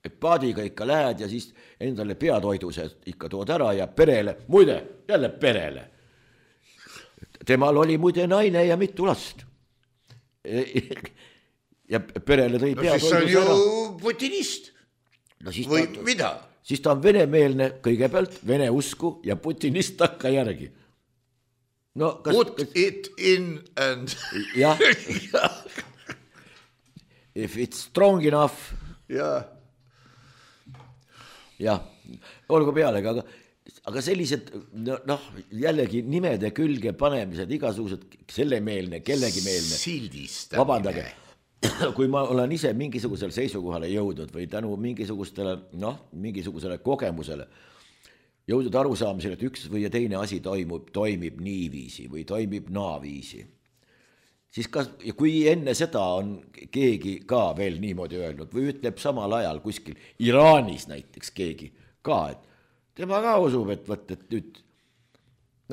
Et paadiga ikka lähed ja siis endale peatoiduse ikka tood ära ja perele, muide, jälle perele. Temal oli muide naine ja mitu last. Ja perele tõi no, peatoiduse ära. No siis on ju putinist. No siis või ta, mida? siis ta on venemeelne kõigepealt, vene usku ja putinist takka järgi. No, kas, Put kas... it in and... jah. If it's strong enough. jah. jah, olgu pealegi, aga, aga sellised, noh, jällegi nimede külge panemised, igasugused sellemeelne, kellegimeelne. Sildistamine. Vabandage, kui ma olen ise mingisugusel seisukohale jõudnud või tänu mingisugustele, noh, mingisugusele kogemusele jõudnud arusaamisele, et üks või teine asi toimub, toimib niiviisi või toimib naaviisi. Siis kas, ja kui enne seda on keegi ka veel niimoodi öelnud või ütleb samal ajal kuskil Iraanis näiteks keegi ka, et tema ka usub, et võt, et nüüd,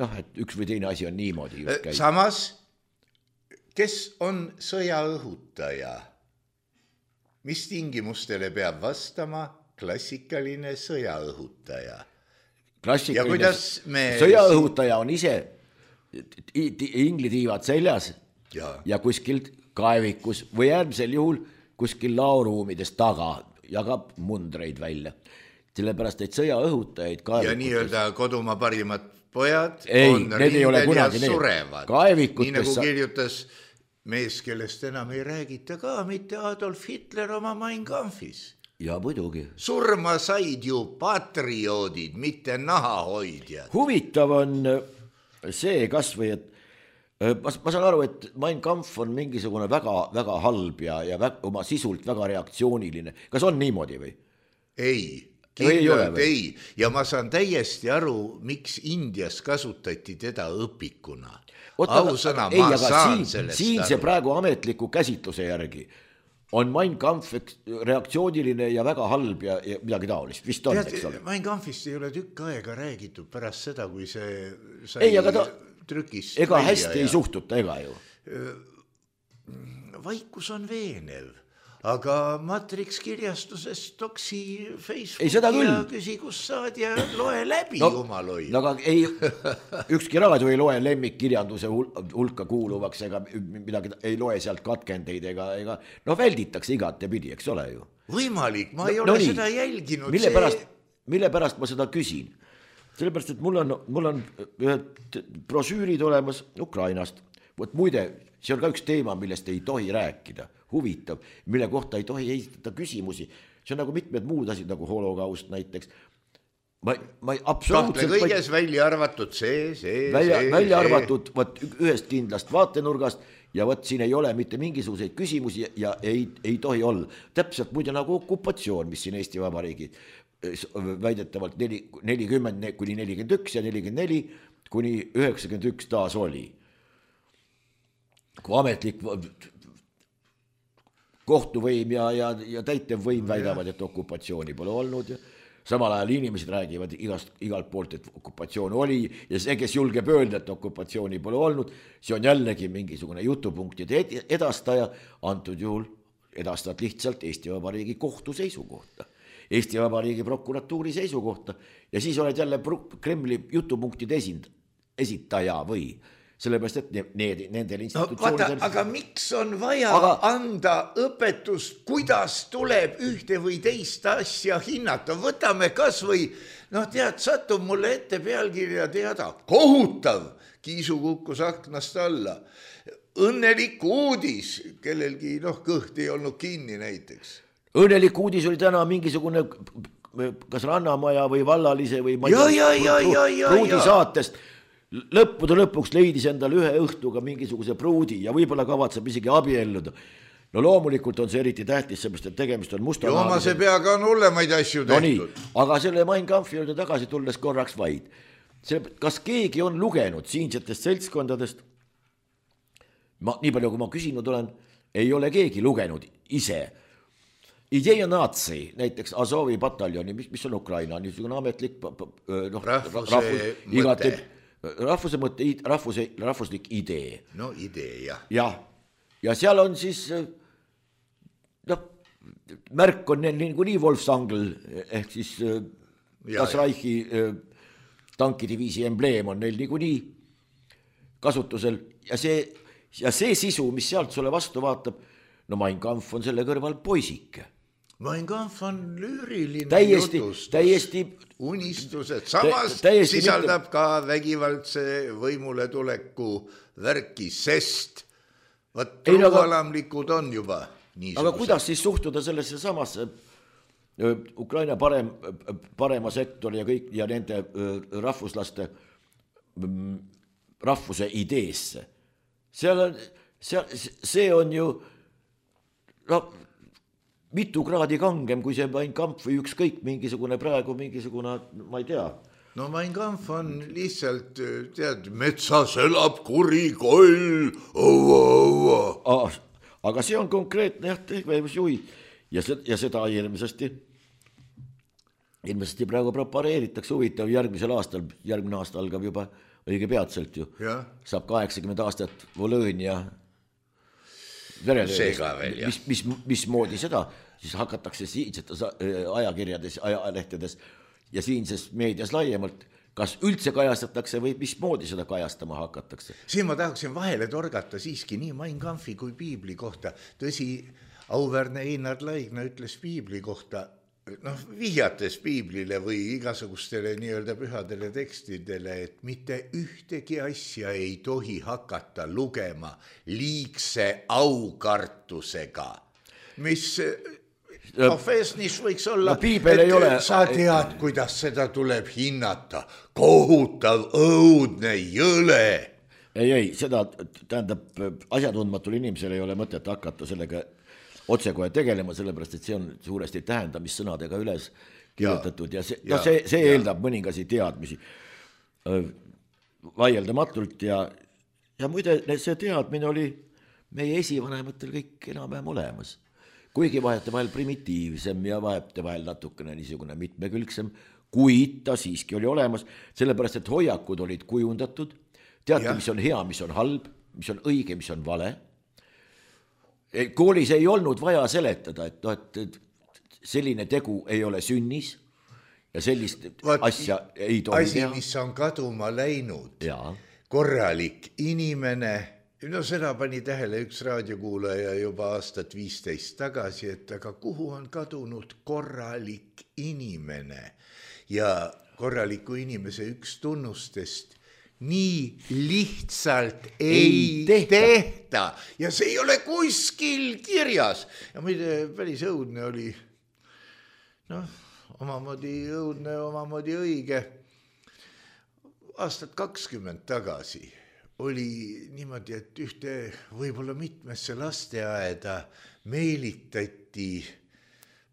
noh, et üks või teine asi on niimoodi just käib. Samas, kes on sõjaõhutaja? Mis tingimustele peab vastama klassikaline sõjaõhutaja? Klassikaline ja kuidas me... sõjaõhutaja on ise inglitiivad seljas ja. ja kuskil kaevikus või äärmisel juhul kuskil laoruumides taga jagab mundreid välja. Sellepärast, et sõjaõhutajaid kaevikutes... Ja nii-öelda kodumaa parimad pojad ei, on rindel ja surevad. Nii nagu kirjutas mees, kellest enam ei räägita ka, mitte Adolf Hitler oma Mein Kampfis. Ja muidugi. Surma said ju patrioodid, mitte nahahoidjad. Huvitav on see kas või, et ma, ma saan aru, et Mein Kampf on mingisugune väga, väga halb ja, ja väga, oma sisult väga reaktsiooniline. Kas on niimoodi või? Ei, kindlalt ei, ei. Ja ma saan täiesti aru, miks Indias kasutati teda õpikuna. Ausõna, ei, ma saan siin, sellest siin aru. See praegu ametliku käsitluse järgi on Mein Kampf reaktsiooniline ja väga halb ja, ja midagi taolist. Vist on, eks ole. Mein Kampfist ei ole tükk aega räägitud pärast seda, kui see sai ei, ta, trükist. Ega hästi ja... ei suhtuta, ega ju. Vaikus on veenev, aga Matrix kirjastuses toksi Facebooki ei, ja küsi, kus saad ja loe läbi no, omal hoid. No aga ei, ükski raadio ei loe lemmikkirjanduse hulka kuuluvaks ega midagi, ei loe sealt katkendeid ega, ega no välditakse igatepidi, eks ole ju. Võimalik, ma ei no, ole no seda jälginud. Mille pärast, mille pärast ma seda küsin? Sellepärast, et mul on, mul on ühed brosüürid olemas Ukrainast. Võt muide, see on ka üks teema, millest ei tohi rääkida. Huvitav, mille kohta ei tohi esitada küsimusi. See on nagu mitmed muud asjad, nagu holokaust näiteks. Ma, ma absoluutselt... Kahtle kõiges ma... välja arvatud see, see, välja, see. Välja see. arvatud võt, ühest kindlast vaatenurgast ja võt siin ei ole mitte mingisuguseid küsimusi ja ei, ei tohi olla. Täpselt muide nagu okupatsioon, mis siin Eesti Vabariigi väidetavalt nelikümmend kuni nelikümmend üks ja nelikümmend neli kuni üheksakümmend üks taas oli. Kui ametlik... kohtuvõim ja, ja, ja täitevvõim väidavad, et okupatsiooni pole olnud ja samal ajal inimesed räägivad igast, igalt poolt, et okupatsioon oli ja see, kes julgeb öelda, et okupatsiooni pole olnud, see on jällegi mingisugune jutupunktide edastaja, antud juhul edastad lihtsalt Eesti Vabariigi kohtu seisukohta, Eesti Vabariigi prokuratuuri seisukohta ja siis oled jälle Kremli jutupunktide esind, esitaja või sellepärast, et need, nendel institutsioonidel... No, aga miks on vaja aga... anda õpetust, kuidas tuleb ühte või teist asja hinnata? Võtame kas või, noh tead, satub mulle ette pealkirja teada. Kohutav! Kiisu kukkus aknast alla. Õnnelik uudis, kellelgi noh, kõht ei olnud kinni näiteks. Õnnelik uudis oli täna mingisugune kas Rannamaja või Vallalise või ja, ja, ja, ja, ja, Pruudi saatest. Lõppude lõpuks leidis endal ühe õhtuga mingisuguse pruudi ja võib-olla kavatseb isegi abielluda. No loomulikult on see eriti tähtis, seepärast, et tegemist on musta Jooma see peaga on hullemaid asju no tehtud. Nii, aga selle Mein Kampfi juurde tagasi tulles korraks vaid. Kas keegi on lugenud siinsetest seltskondadest? Ma, nii palju, kui ma küsinud olen, ei ole keegi lugenud ise. Ideja natsi, näiteks Azovi pataljoni, mis, mis on Ukraina, niisugune ametlik no, rahvuse rahvus, mõte. Igate, rahvuse mõte, rahvuse, rahvuslik idee. No idee, jah. Jah, ja seal on siis, noh, märk on neil nagu nii Wolfsangel, ehk siis Das Reichi tankidiviisi embleem on neil nagu nii kasutusel ja see, ja see sisu, mis sealt sulle vastu vaatab, no Mein Kampf on selle kõrval poisike. Mein Kampf on lüüriline täiesti, jutustus, täiesti unistused, samas tä, sisaldab mitte... ka vägivaldse võimule tuleku värki, sest võt truualamlikud on juba niisugused. Aga kuidas siis suhtuda sellesse samasse Ukraina parem, parema sektori ja kõik ja nende rahvuslaste rahvuse ideesse? Seal on, seal, see on ju no, mitu kraadi kangem, kui see Mein Kampf või ükskõik mingisugune praegu mingisugune, ma ei tea. No Mein Kampf on lihtsalt, tead, metsas elab kuri koll, õua, õua. Ah, aga see on konkreetne jah, tegevusjuhi ja, se, ja seda ilmsesti, ilmsesti praegu prepareeritakse huvitav järgmisel aastal, järgmine aasta algab juba õige peatselt ju. Ja. Saab kaheksakümmend aastat Volõõnia verelöödest, mis, mis, mis moodi seda, siis hakatakse siinsetes ajakirjades, ajalehtedes ja siinses meedias laiemalt, kas üldse kajastatakse või mis moodi seda kajastama hakatakse? Siin ma tahaksin vahele torgata siiski nii Mein Kampfi kui piibli kohta. Tõsi, auväärne Einar Laigna ütles piibli kohta, noh, vihjates piiblile või igasugustele nii-öelda pühadele tekstidele, et mitte ühtegi asja ei tohi hakata lugema liigse aukartusega, mis profeesnis võiks olla, no, et ole... sa tead, kuidas seda tuleb hinnata, kohutav, õudne, jõle. Ei, ei, seda tähendab, asjatundmatul inimesel ei ole mõtet hakata sellega otsekohe tegelema, sellepärast, et see on suuresti tähendamissõnadega üles kirjutatud ja, ja see, ja, no see, see eeldab mõningasi teadmisi vaieldamatult ja, ja muide see teadmine oli meie esivanematel kõik enam-vähem olemas. Kuigi vahete vahel primitiivsem ja vahete vahel natukene niisugune mitmekülgsem, kuid ta siiski oli olemas, sellepärast, et hoiakud olid kujundatud, teate, mis on hea, mis on halb, mis on õige, mis on vale. Koolis ei olnud vaja seletada, et, no, et selline tegu ei ole sünnis ja sellist Vaat, asja ei tohi asi, teha. Asi, mis on kaduma läinud, ja. Korralik inimene, no seda pani tähele üks raadiokuulaja juba aastat viisteist tagasi, et aga kuhu on kadunud korralik inimene ja korraliku inimese üks tunnustest nii lihtsalt ei, ei tehta. tehta ja see ei ole kuskil kirjas ja muide päris õudne oli, noh, omamoodi õudne, omamoodi õige. Aastat kakskümmend tagasi oli niimoodi, et ühte võib-olla mitmesse lasteaeda meelitati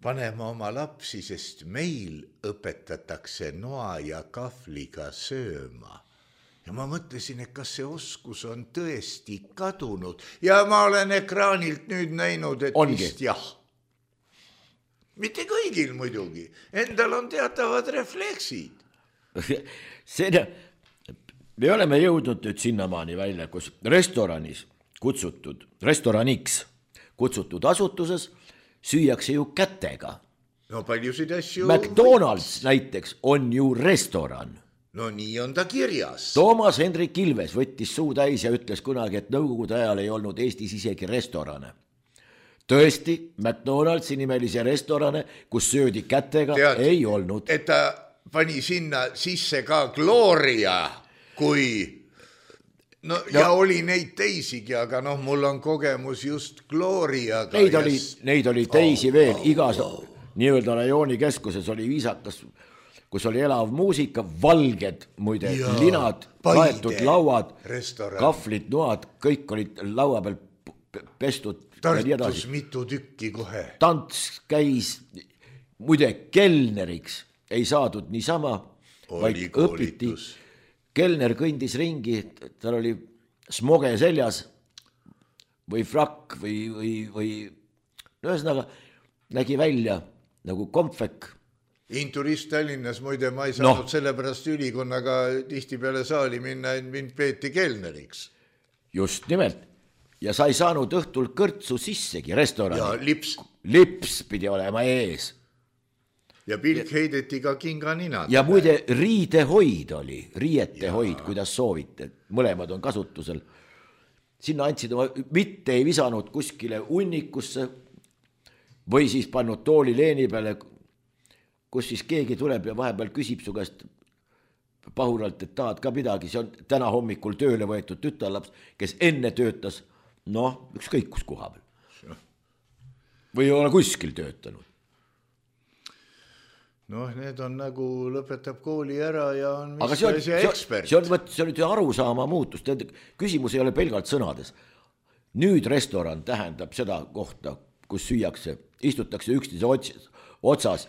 panema oma lapsi, sest meil õpetatakse noa ja kahvliga sööma. Ja ma mõtlesin, et kas see oskus on tõesti kadunud ja ma olen ekraanilt nüüd näinud, et Ongi. vist jah. Mitte kõigil muidugi, endal on teatavad refleksid. See, me oleme jõudnud nüüd sinnamaani välja, kus restoranis kutsutud, restoraniks kutsutud asutuses süüakse ju kätega. No paljusid asju... McDonald's näiteks on ju restoran. No nii on ta kirjas. Toomas Hendrik Ilves võttis suu täis ja ütles kunagi, et nõukogude ajal ei olnud Eestis isegi restorane. Tõesti, McDonald'si nimelise restorane, kus söödi kätega, Tead, ei olnud. Et ta pani sinna sisse ka Gloria, kui... No ja, ja oli neid teisigi, aga noh, mul on kogemus just Gloriaga. Neid oli, neid oli teisi oh, veel, igas oh, oh. nii-öelda rajooni keskuses oli viisakas... kus oli elav muusika, valged, muide, ja, linad, kaetud lauad, restoran. Kahvlid, noad, kõik olid laua peal pestud. Tartus mitu tükki kohe. Tants käis, muide, kelneriks ei saadud niisama, vaid õpiti. Kelner kõndis ringi, tal oli smoge seljas või frakk või, või, või no ühesõnaga nägi välja nagu kompvek. Inturist Tallinnas, muide, ma ei saanud no. sellepärast ülikonnaga tihti peale saali minna, mind peeti kelneriks. Just nimelt. Ja sa ei saanud õhtul kõrtsu sissegi restorani. Ja lips. Lips pidi olema ees. Ja pilk heideti ka kinga ninad. Ja muide, riidehoid oli, riietehoid, kuidas soovite. Mõlemad on kasutusel. Sinna andsid oma, mitte ei visanud kuskile unnikusse, või siis pannud tooli leeni peale, kus siis keegi tuleb ja vahepeal küsib su käest pahuralt, et tahad ka midagi, see on täna hommikul tööle võetud tütarlaps, kes enne töötas, noh, ükskõik kus koha peal. Või ei ole kuskil töötanud. Noh, need on nagu lõpetab kooli ära ja on mis see on, see ekspert. See on, see on nüüd arusaama muutus, küsimus ei ole pelgalt sõnades. Nüüd restoran tähendab seda kohta, kus süüakse, istutakse üksteise otsas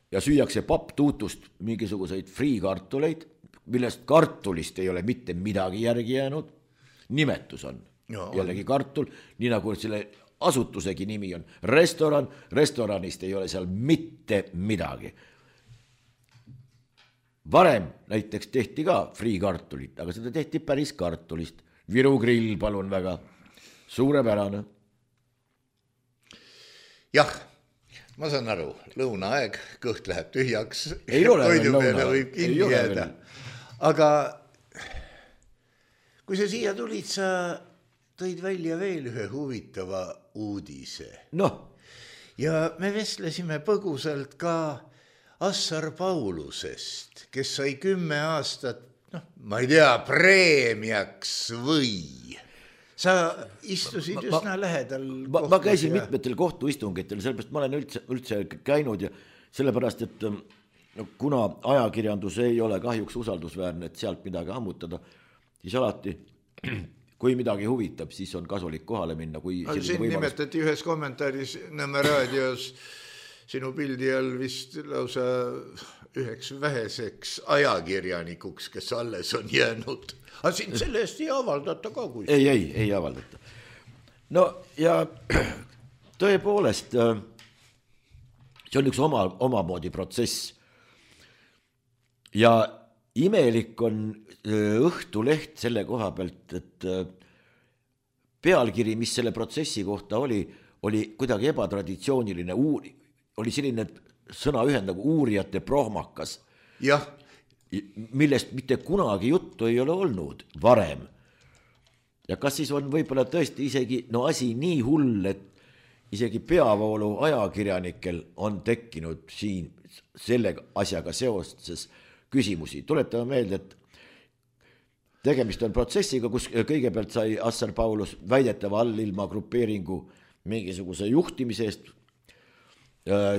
ja süüakse papptuutust mingisuguseid friikartuleid, millest kartulist ei ole mitte midagi järgi jäänud. Nimetus on no, jällegi kartul, nii nagu selle asutusegi nimi on restoran, restoranist ei ole seal mitte midagi. Varem näiteks tehti ka friikartulit, aga seda tehti päris kartulist. Viru grill, palun väga, suurepärane. Jah, ma saan aru, lõunaaeg, kõht läheb tühjaks, ei ole veel lõuna, võib kinni jääda. Aga kui sa siia tulid, sa tõid välja veel ühe huvitava uudise. Noh. Ja me vestlesime põgusalt ka Assar Paulusest, kes sai kümme aastat, noh, ma ei tea, preemiaks või. Sa istusid ma, üsna lähedal. Ma, ma käisin ja... mitmetel kohtuistungitel, sellepärast ma olen üldse, üldse käinud ja sellepärast, et no, kuna ajakirjandus ei ole kahjuks usaldusväärne, et sealt midagi ammutada, siis alati kui midagi huvitab, siis on kasulik kohale minna. Kui siin võimalus... nimetati ühes kommentaaris Nõmme raadios sinu pildi all vist lausa üheks väheseks ajakirjanikuks, kes alles on jäänud. Aga siin selle eest ei avaldata ka kui. Ei, ei, ei avaldata. No ja tõepoolest, see on üks oma, omamoodi protsess. Ja imelik on Õhtuleht selle koha pealt, et pealkiri, mis selle protsessi kohta oli, oli kuidagi ebatraditsiooniline, uuri, oli selline sõnaühend nagu uurijate prohmakas, jah. millest mitte kunagi juttu ei ole olnud varem. Ja kas siis on võib-olla tõesti isegi no asi nii hull, et isegi peavoolu ajakirjanikel on tekkinud siin selle asjaga seoses küsimusi. Tuletame meelde, et tegemist on protsessiga, kus kõigepealt sai Assar Paulus väidetava allilma grupeeringu mingisuguse juhtimise eest,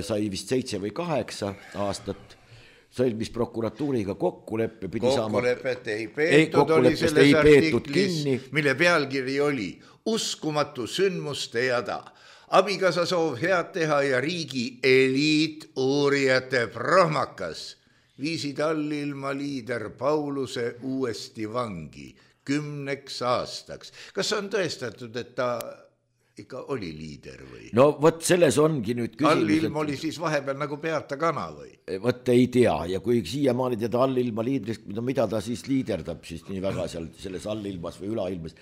sai vist seitse või kaheksa aastat, sõlmis prokuratuuriga kokkuleppe. Kokkulepet ei peetud, oli selles artiklis, mille pealkiri oli uskumatu sündmuste jada. Abikasa soov head teha ja riigi eliit uurijate prohmakas. Viisid allilma liider Pauluse uuesti vangi kümneks aastaks. Kas on tõestatud, et ta ikka oli liider või? No võt selles ongi nüüd küsimus. Allilm oli siis vahepeal nagu peata kana või? Võt ei tea ja kui siiamaani teda allilma liidrist, mida ta siis liiderdab siis nii väga seal selles allilmas või ülailmas.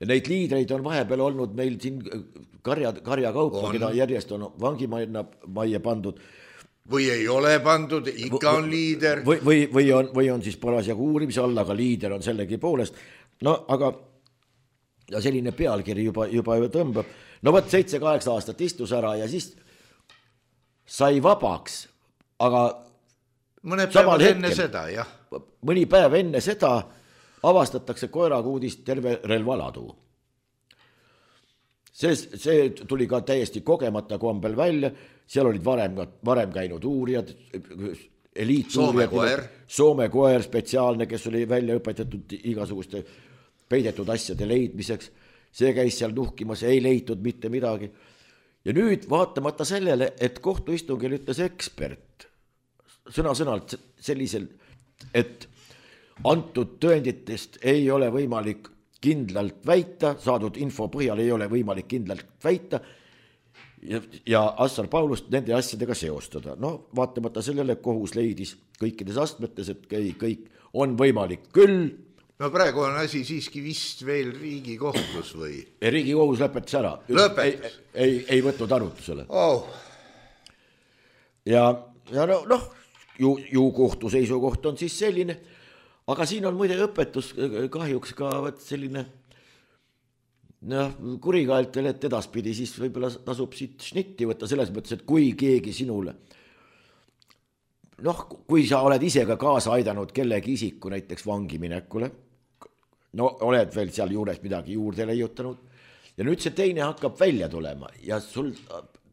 Ja neid liidreid on vahepeal olnud meil siin karja, karja kaupa, keda järjest on vangimajja majja pandud. Või ei ole pandud, ikka on liider. Või, või, või, on, või on siis parasjagu uurimise all, aga liider on sellegi poolest. No aga ja selline pealkiri juba, juba tõmbab. No võt seitse-kaheksa aastat istus ära ja siis sai vabaks, aga mõne päev enne seda, jah. Mõni päev enne seda avastatakse koerakuudist terve relvaladu. See, see tuli ka täiesti kogemata kombel välja, seal olid varem, varem käinud uurijad, eliituurijad, Soome koer. Soome koer spetsiaalne, kes oli välja õpetatud igasuguste peidetud asjade leidmiseks. See käis seal nuhkimas, ei leitud mitte midagi. Ja nüüd vaatamata sellele, et kohtuistungil ütles ekspert sõna-sõnalt sellisel, et antud tõenditest ei ole võimalik kindlalt väita, saadud info põhjal ei ole võimalik kindlalt väita ja, ja Assar Paulust nende asjadega seostada. No vaatamata sellele kohus leidis kõikides astmetes, et kõik on võimalik küll. No praegu on asi siiski vist veel Riigikohtus või? Riigikohus lõpetas ära. Lõpetas? Ei, ei, ei võtnud arutusele. Oh. Ja, ja no, noh, ju, ju kohtu seisukoht on siis selline. Aga siin on muide õpetus kahjuks ka selline noh, kurikaeltel, et edaspidi siis võib-olla tasub siit šnitti võtta selles mõttes, et kui keegi sinule, noh, kui sa oled ise ka kaasa aidanud kellegi isiku näiteks vangiminekule, no oled veel seal juures midagi juurde leiutanud ja nüüd see teine hakkab välja tulema ja sul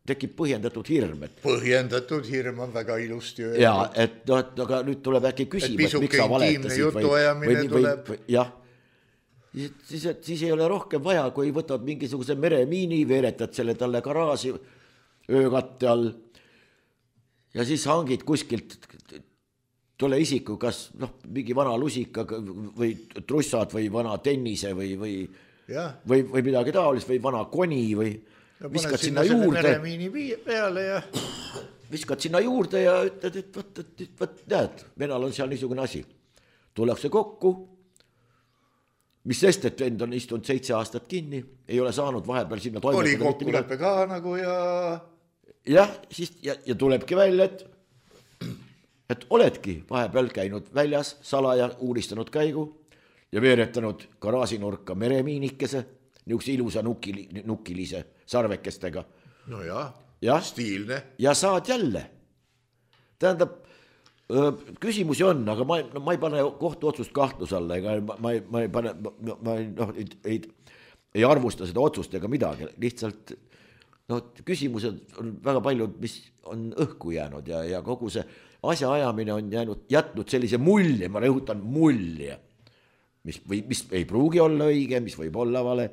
tekib põhjendatud hirm. Et... Põhjendatud hirm on väga ilusti öelnud. Ja, et, no, et aga nüüd tuleb äkki küsima, et miks sa valetasid või, või, või, või jah, Siis, siis ei ole rohkem vaja, kui võtad mingisuguse meremiini, veeretad selle talle garaaži öökatte all ja siis hangid kuskilt tule isiku, kas noh, mingi vana lusika või trussad või vana tennise või, või, või, või midagi taolist või vana koni või ja viskad sinna, sinna juurde. Meremiini peale ja... Viskad sinna juurde ja ütled, et võt, et, et, võt, näed, venal on seal niisugune asi. Tullakse kokku, mis sest, et vend on istunud seitse aastat kinni, ei ole saanud vahepeal sinna toimetada. Oli kokkuleppe ka nagu ja... Jah, siis, ja, ja tulebki välja, et, et oledki vahepeal käinud väljas, salaja uuristanud käigu ja veeretanud garaasinurka meremiinikese, niukse ilusa nukili, nukilise sarvekestega. No jah, ja, stiilne. Ja saad jälle. Tähendab, küsimusi on, aga ma, no, ma ei pane kohtuotsust kahtlus alla, ega ma, ma, ma ei pane, ma, ma no, ei, ei, ei arvusta seda otsust ega midagi, lihtsalt no, küsimused on väga paljud, mis on õhku jäänud ja, ja kogu see asja ajamine on jäänud, jätnud sellise mulje, ma rõhutan mulje, mis, või, mis ei pruugi olla õige, mis võib olla vale,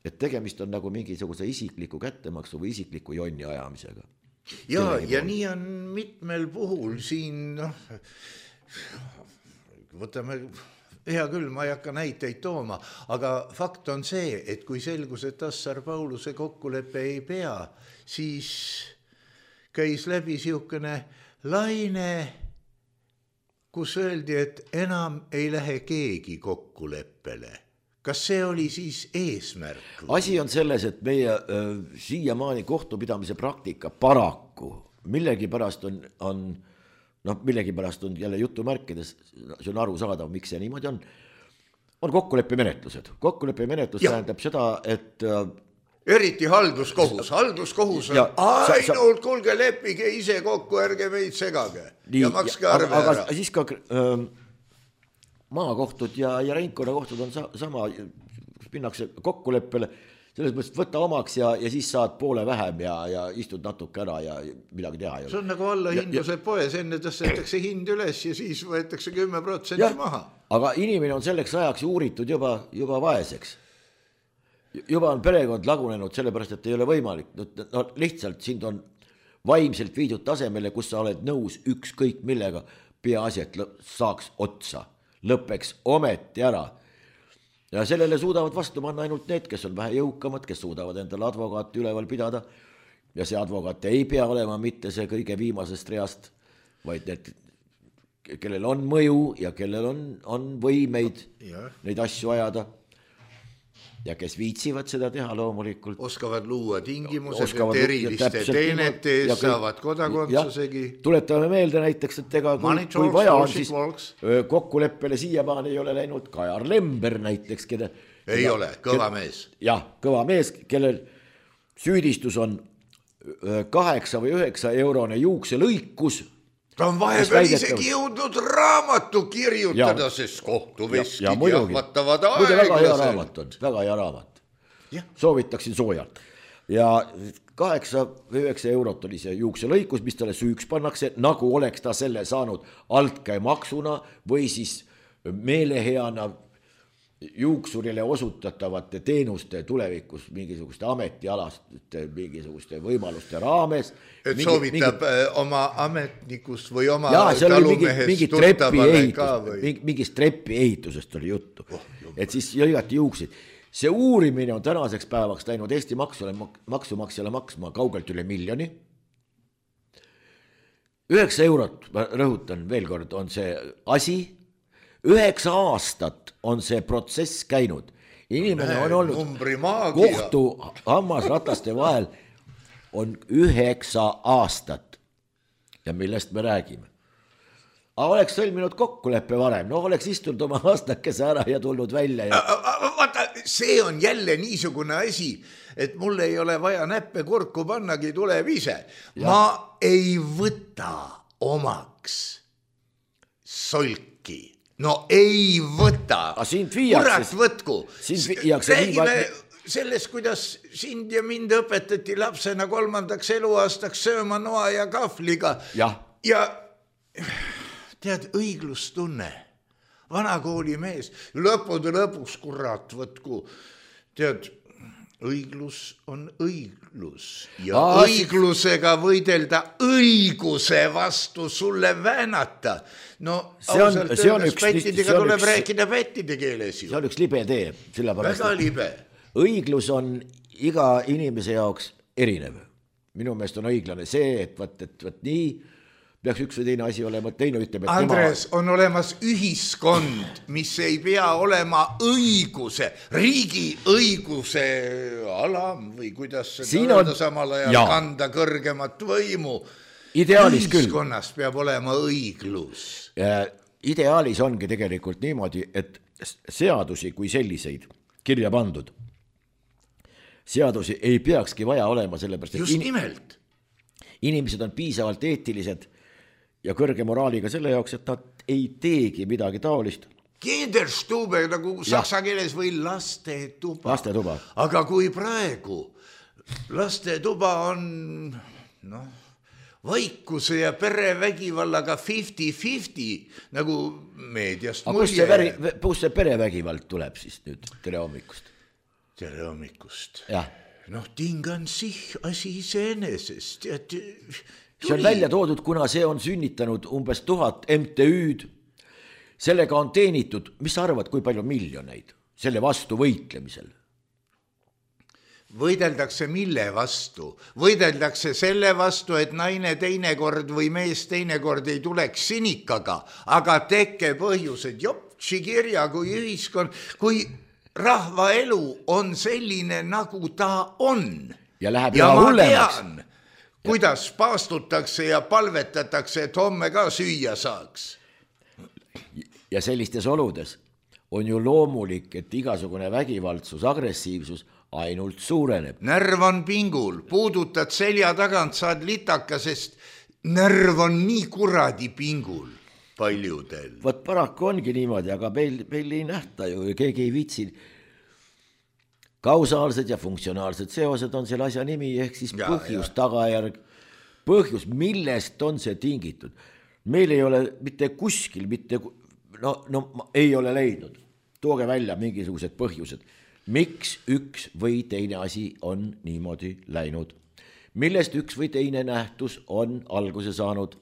et tegemist on nagu mingisuguse isikliku kättemaksu või isikliku jonni ajamisega. Ja, ja nii on mitmel puhul siin, noh, võtame, hea küll, ma ei hakka näiteid tooma, aga fakt on see, et kui selgus, et Assar Pauluse kokkuleppe ei pea, siis käis läbi siukene laine, kus öeldi, et enam ei lähe keegi kokkuleppele. Kas see oli siis eesmärk? Asi on selles, et meie äh, siiamaani kohtupidamise praktika paraku millegi pärast on, on, noh, millegi pärast on jälle jutumärkides, see on aru saadav, miks see niimoodi on, on kokkuleppemenetlused. Kokkuleppemenetlus tähendab seda, et äh, eriti halduskohus, halduskohus on ja, ainult, sa, kulge leppige ise kokku, ärge meid segage nii, ja makske arve aga, ära. Aga siis ka äh, maakohtud ja, ja ringkonnakohtud on sa, sama, minnakse kokkuleppele, selles mõttes võtta omaks ja, ja siis saad poole vähem ja, ja istud natuke ära ja midagi teha. See on nagu allahindluse poes, enne tõstetakse hind üles ja siis võetakse kümme protsenti maha. Aga inimene on selleks ajaks uuritud juba, juba vaeseks. Juba on perekond lagunenud sellepärast, et ei ole võimalik. No, lihtsalt sind on vaimselt viidud tasemele, kus sa oled nõus ükskõik millega, peaasi, et saaks otsa. Lõpeks ometi ära. Ja sellele suudavad vastu panna ainult need, kes on vähe jõukamad, kes suudavad endale advokaati üleval pidada ja see advokaat ei pea olema mitte see kõige viimasest reast, vaid need, kellel on mõju ja kellel on, on võimeid ja. Neid asju ajada ja kes viitsivad seda teha loomulikult. Oskavad luua tingimused, oskavad et eriliste teenete ees saavad kodakondsusegi. Tuletame meelde näiteks, et ega kui, kui vaja on, siis kokkuleppele siiamaani ei ole läinud Kajar Lember näiteks, keda, ei keda, ole, kõva keda, mees. Jah, kõva mees, kellel süüdistus on kaheksa või üheksa eurone juukselõikus. Ta on vahepeal isegi jõudnud raamatu kirjutada, sest kohtuveskid jahvatavad aeglaselt. Muide, väga hea raamat on, väga hea raamat. Ja. Soovitaksin soojalt. Ja kaheksa või üheksa eurot oli see juukselõikus, mis talle süüks pannakse, nagu oleks ta selle saanud altkäemaksuna või siis meeleheana juuksurile osutatavate teenuste tulevikus mingisuguste ametialaste, mingisuguste võimaluste raames. Et mingi, soovitab mingi, oma ametnikust või oma ja, talumehest tuttavale ka või? Mingi, mingist trepi ehitusest oli juttu, oh, et siis jõigati juuksid. See uurimine on tänaseks päevaks läinud Eesti maksule, maksumaksjale maksma kaugelt üle miljoni. Üheksa eurot, ma rõhutan veel kord, on see asi. Üheksa aastat on see protsess käinud. Inimene Näe, on olnud kohtu hammasrataste vahel on üheksa aastat. Ja millest me räägime? aga oleks sõlminud kokkuleppe varem, no oleks istunud oma aastakese ära ja tulnud välja ja... Vaata, see on jälle niisugune asi, et mul ei ole vaja näppe kurku pannagi, tuleb ise. Ja. Ma ei võta omaks solki. No ei võta. Kurat võtku. Räägime sellest, kuidas sind ja mind õpetati lapsena kolmandaks eluaastaks sööma noa ja kahvliga. Ja, ja tead, õiglustunne. Vanakooli mees. Lõppude lõpuks, kurat võtku. Tead, õiglus on õiglus. Ja Aa, õiglusega võidelda õiguse vastu sulle väänata. No see on, ausalt see on öeldes üks, pättidega see on tuleb üks, rääkida pättide keeles ju. See on üks libe tee. Väga libe. Õiglus on iga inimese jaoks erinev. Minu meelest on õiglane see, et võt, et võt nii peaks üks või teine asi olema, teine ütleb, et Andres, tema... on olemas ühiskond, mis ei pea olema õiguse, riigi õiguse alam või kuidas seda on... samal ajal ja. Kanda kõrgemat võimu. Ideaalis ühiskonnas küll. Peab olema õiglus. Ja ideaalis ongi tegelikult niimoodi, et seadusi kui selliseid kirja pandud. Seadusi ei peakski vaja olema sellepärast, et just nimelt. Inimesed on piisavalt eetilised ja kõrge moraaliga selle jaoks, et nad ei teegi midagi taolist. Kinderstube nagu saksa keeles või lastetuba. Lastetuba. Aga kui praegu lastetuba on noh, vaikuse ja perevägivallaga viiskümmend viiskümmend, nagu meediast mulje. Aga kus see perevägivald tuleb siis nüüd tere hommikust? Tere hommikust. Jah. Noh, tingan sich asi iseenesest. See on välja toodud, kuna see on sünnitanud umbes tuhat M T Ü'd. Sellega on teenitud, mis sa arvad, kui palju miljoneid selle vastu võitlemisel? Võideldakse mille vastu? Võideldakse selle vastu, et naine teinekord või mees teinekord ei tuleks sinikaga, aga tekke põhjused, jopsi kirja, kui ühiskond, kui rahva elu on selline, nagu ta on. Ja läheb ja üha hullemaks. Tean, kuidas paastutakse ja palvetatakse, et homme ka süüa saaks. Ja sellistes oludes on ju loomulik, et igasugune vägivaldsus, agressiivsus ainult suureneb. Närv on pingul, puudutad selja tagant, saad litaka, sest närv on nii kuradi pingul paljudel. Võt paraku ongi niimoodi, aga meil, meil ei nähta ju, keegi ei viitsi. Kausaalsed ja funktsionaalsed seosed on selle asja nimi, ehk siis ja, põhjus, ja. Tagajärg, põhjus, millest on see tingitud. Meil ei ole mitte kuskil, mitte, no, no ei ole leidnud. Tooge välja mingisugused põhjused. Miks üks või teine asi on niimoodi läinud? Millest üks või teine nähtus on alguse saanud?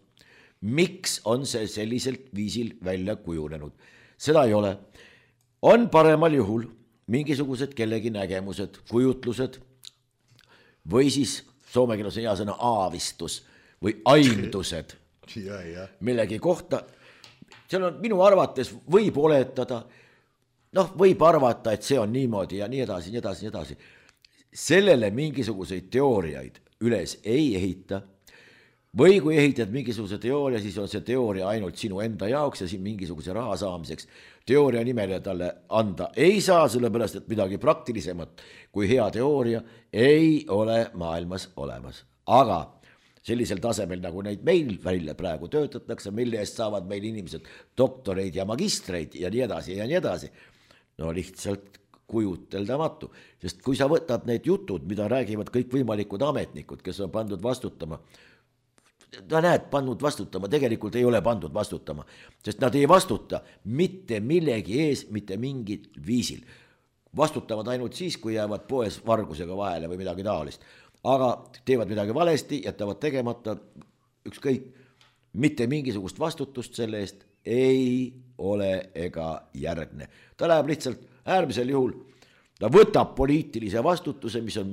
Miks on see selliselt viisil välja kujunenud? Seda ei ole. On paremal juhul mingisugused kellegi nägemused, kujutlused või siis soome keeles on hea sõna aavistus või aimdused ja, ja. millegi kohta. Seal on minu arvates võib oletada, noh, võib arvata, et see on niimoodi ja nii edasi, nii edasi, nii edasi. Sellele mingisuguseid teooriaid üles ei ehita või kui ehitad mingisuguse teooria, siis on see teooria ainult sinu enda jaoks ja siin mingisuguse raha saamiseks. Teooria nimele talle anda ei saa, sellepärast, et midagi praktilisemat kui hea teooria ei ole maailmas olemas. Aga sellisel tasemel, nagu neid meil välja praegu töötatakse, mille eest saavad meil inimesed doktoreid ja magistreid ja nii edasi ja nii edasi. No lihtsalt kujuteldamatu, sest kui sa võtad need jutud, mida räägivad kõik võimalikud ametnikud, kes on pandud vastutama, ta näed, pandud vastutama, tegelikult ei ole pandud vastutama, sest nad ei vastuta mitte millegi ees, mitte mingil viisil. Vastutavad ainult siis, kui jäävad poes vargusega vahele või midagi taolist. Aga teevad midagi valesti, jätavad tegemata, ükskõik, mitte mingisugust vastutust selle eest ei ole ega järgne. Ta läheb lihtsalt äärmisel juhul, ta võtab poliitilise vastutuse, mis on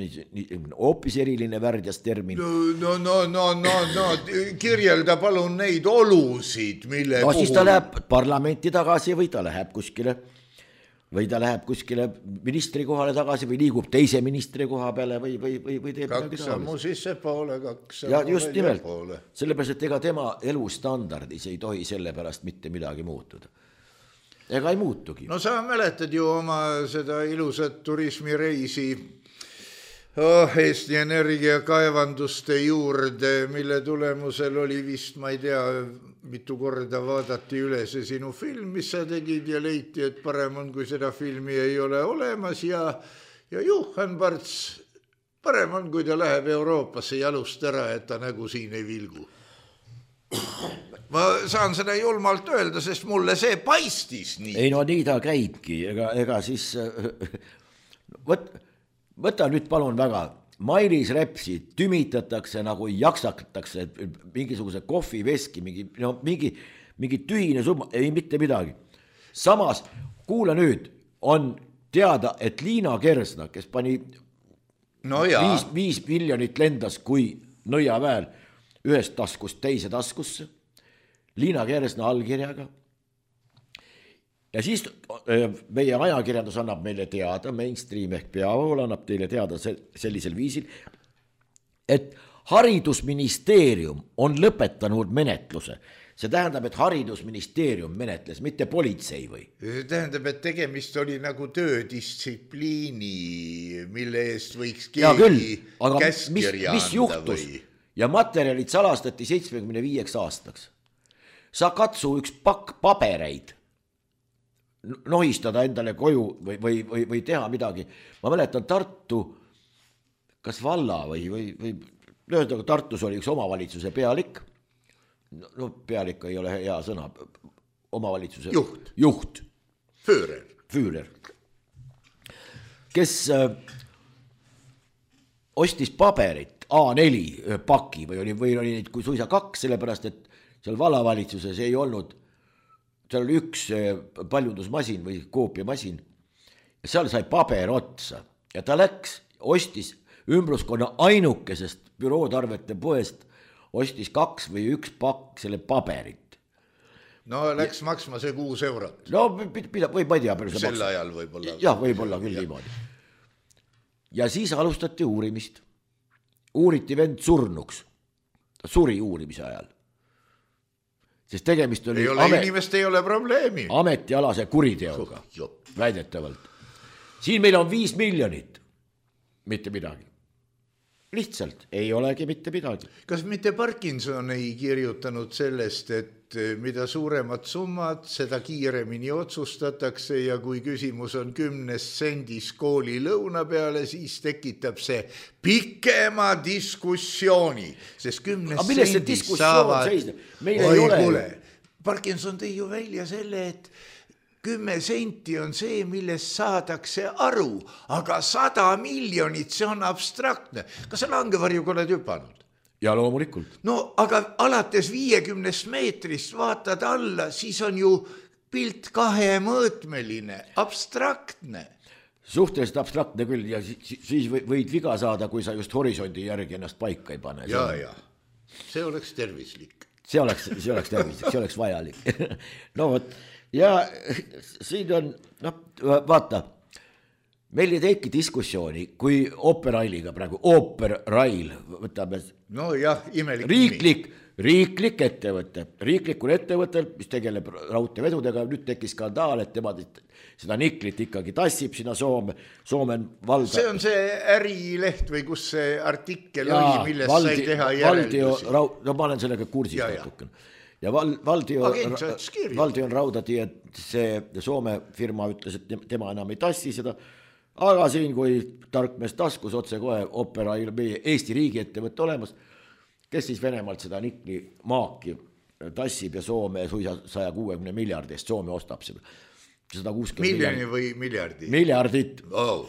hoopis eriline värdjas termin. No, no, no, no, no, kirjelda palun neid olusid, mille no, puhul... siis ta läheb parlamenti tagasi või ta läheb kuskile või ta läheb kuskile ministri kohale tagasi või liigub teise ministri koha peale või, või, või, või teeb kaks sammu sisse poole, kaks ja just nimelt, sellepärast, et ega tema elustandardis ei tohi selle pärast mitte midagi muutuda. Ega ei muutugi. No sa mäletad ju oma seda ilusat turismireisi oh, Eesti Energia kaevanduste juurde, mille tulemusel oli vist, ma ei tea, mitu korda vaadati üle see sinu film, mis sa tegid ja leiti, et parem on, kui seda filmi ei ole olemas ja, ja Juhan Parts, parem on, kui ta läheb Euroopasse jalust ära, et ta nägu siin ei vilgu. Ma saan seda julmalt öelda, sest mulle see paistis nii. Ei no nii ta käibki, ega, ega siis võt, võta nüüd palun väga, Mailis Repsi tümitatakse nagu jaksatatakse mingisuguse kohviveski, mingi, no, mingi, mingi tühine summa, ei mitte midagi. Samas, kuule nüüd, on teada, et Liina Kersna, kes pani no viis, viis miljonit lendas kui nõiaväel ühest taskust teise taskusse, Liina Kersna allkirjaga. Ja siis meie ajakirjandus annab meile teada, mainstream ehk peavool annab teile teada sellisel viisil, et haridusministeerium on lõpetanud menetluse. See tähendab, et haridusministeerium menetles, mitte politsei või? See tähendab, et tegemist oli nagu töödistsipliini, mille eest võiks keegi käskirja mis anda või? Ja materjalid salastati seitsmekümne viieks aastaks. Sa katsu üks pakk pabereid nohistada endale koju või, või, või, või teha midagi. Ma mäletan Tartu, kas valla või, või, või löödaga Tartus oli üks omavalitsuse pealik, no pealik ei ole hea sõna, omavalitsuse juht, juht. Führer. Führer, kes äh, ostis paberit A neli paki või oli, või oli neid kui suisa kaks, sellepärast et seal vallavalitsuses ei olnud, seal oli üks paljundusmasin või koopiamasin ja seal sai paber otsa ja ta läks, ostis ümbruskonna ainukesest bürootarvete poest, ostis kaks või üks pakk selle paberit. No läks ja, maksma see kuus eurot. No pida, või ma ei tea. Sel maksa. Ajal võib-olla. Jah, võib-olla küll niimoodi. Ja siis alustati uurimist. Uuriti vend surnuks. Ta suri uurimise ajal. Sest tegemist oli... Ei ole amet, inimest, ei ole probleemi. Ametialase kuriteoga, oh, väidetavalt. Siin meil on viis miljonit. Mitte midagi. Lihtsalt ei olegi mitte midagi. Kas mitte Parkinson ei kirjutanud sellest, et mida suuremad summad, seda kiiremini otsustatakse ja kui küsimus on kümnes sendis kooli lõuna peale, siis tekitab see pikema diskussiooni, sest kümnes sendis saavad... Meil ei ole... Kuule, Parkinson tõi ju välja selle, et kümme senti on see, millest saadakse aru, aga sada miljonit, see on abstraktne. Kas sa langevarjuga oled hüpanud? Ja loomulikult. No aga alates viiekümnest meetrist vaatad alla, siis on ju pilt kahemõõtmeline, abstraktne. Suhteliselt abstraktne küll ja siis võid viga saada, kui sa just horisondi järgi ennast paika ei pane. Ja, ja, see oleks tervislik. See oleks, see oleks tervislik, see oleks vajalik. No võt, ja siin on, no vaata, meil ei teki diskussiooni, kui Operailiga praegu, Operail, võtame no jah, imelik riiklik, riiklik ettevõte, riiklikul ettevõttel, mis tegeleb raudteevedudega, nüüd tekkis skandaal, et tema seda niklit ikkagi tassib sinna Soome, Soomen valda. See on see ärileht või kus see artikkel ja, oli, millest valdi, sai teha järeldusi. Valdio, no ma olen sellega kursis natuken. Ja val, Valdio, Valdio on raudati, et see Soome firma ütles, et tema enam ei tassi seda, aga siin, kui tarkmees taskus otse kohe Opera meie Eesti riigi ettevõtte olemas, kes siis Venemaalt seda nikli maaki tassib ja Soome suisa saja kuuekümne miljardist, Soome ostab seda. sada kuuskümmend miljoni või miljardi? Miljardit. Oh.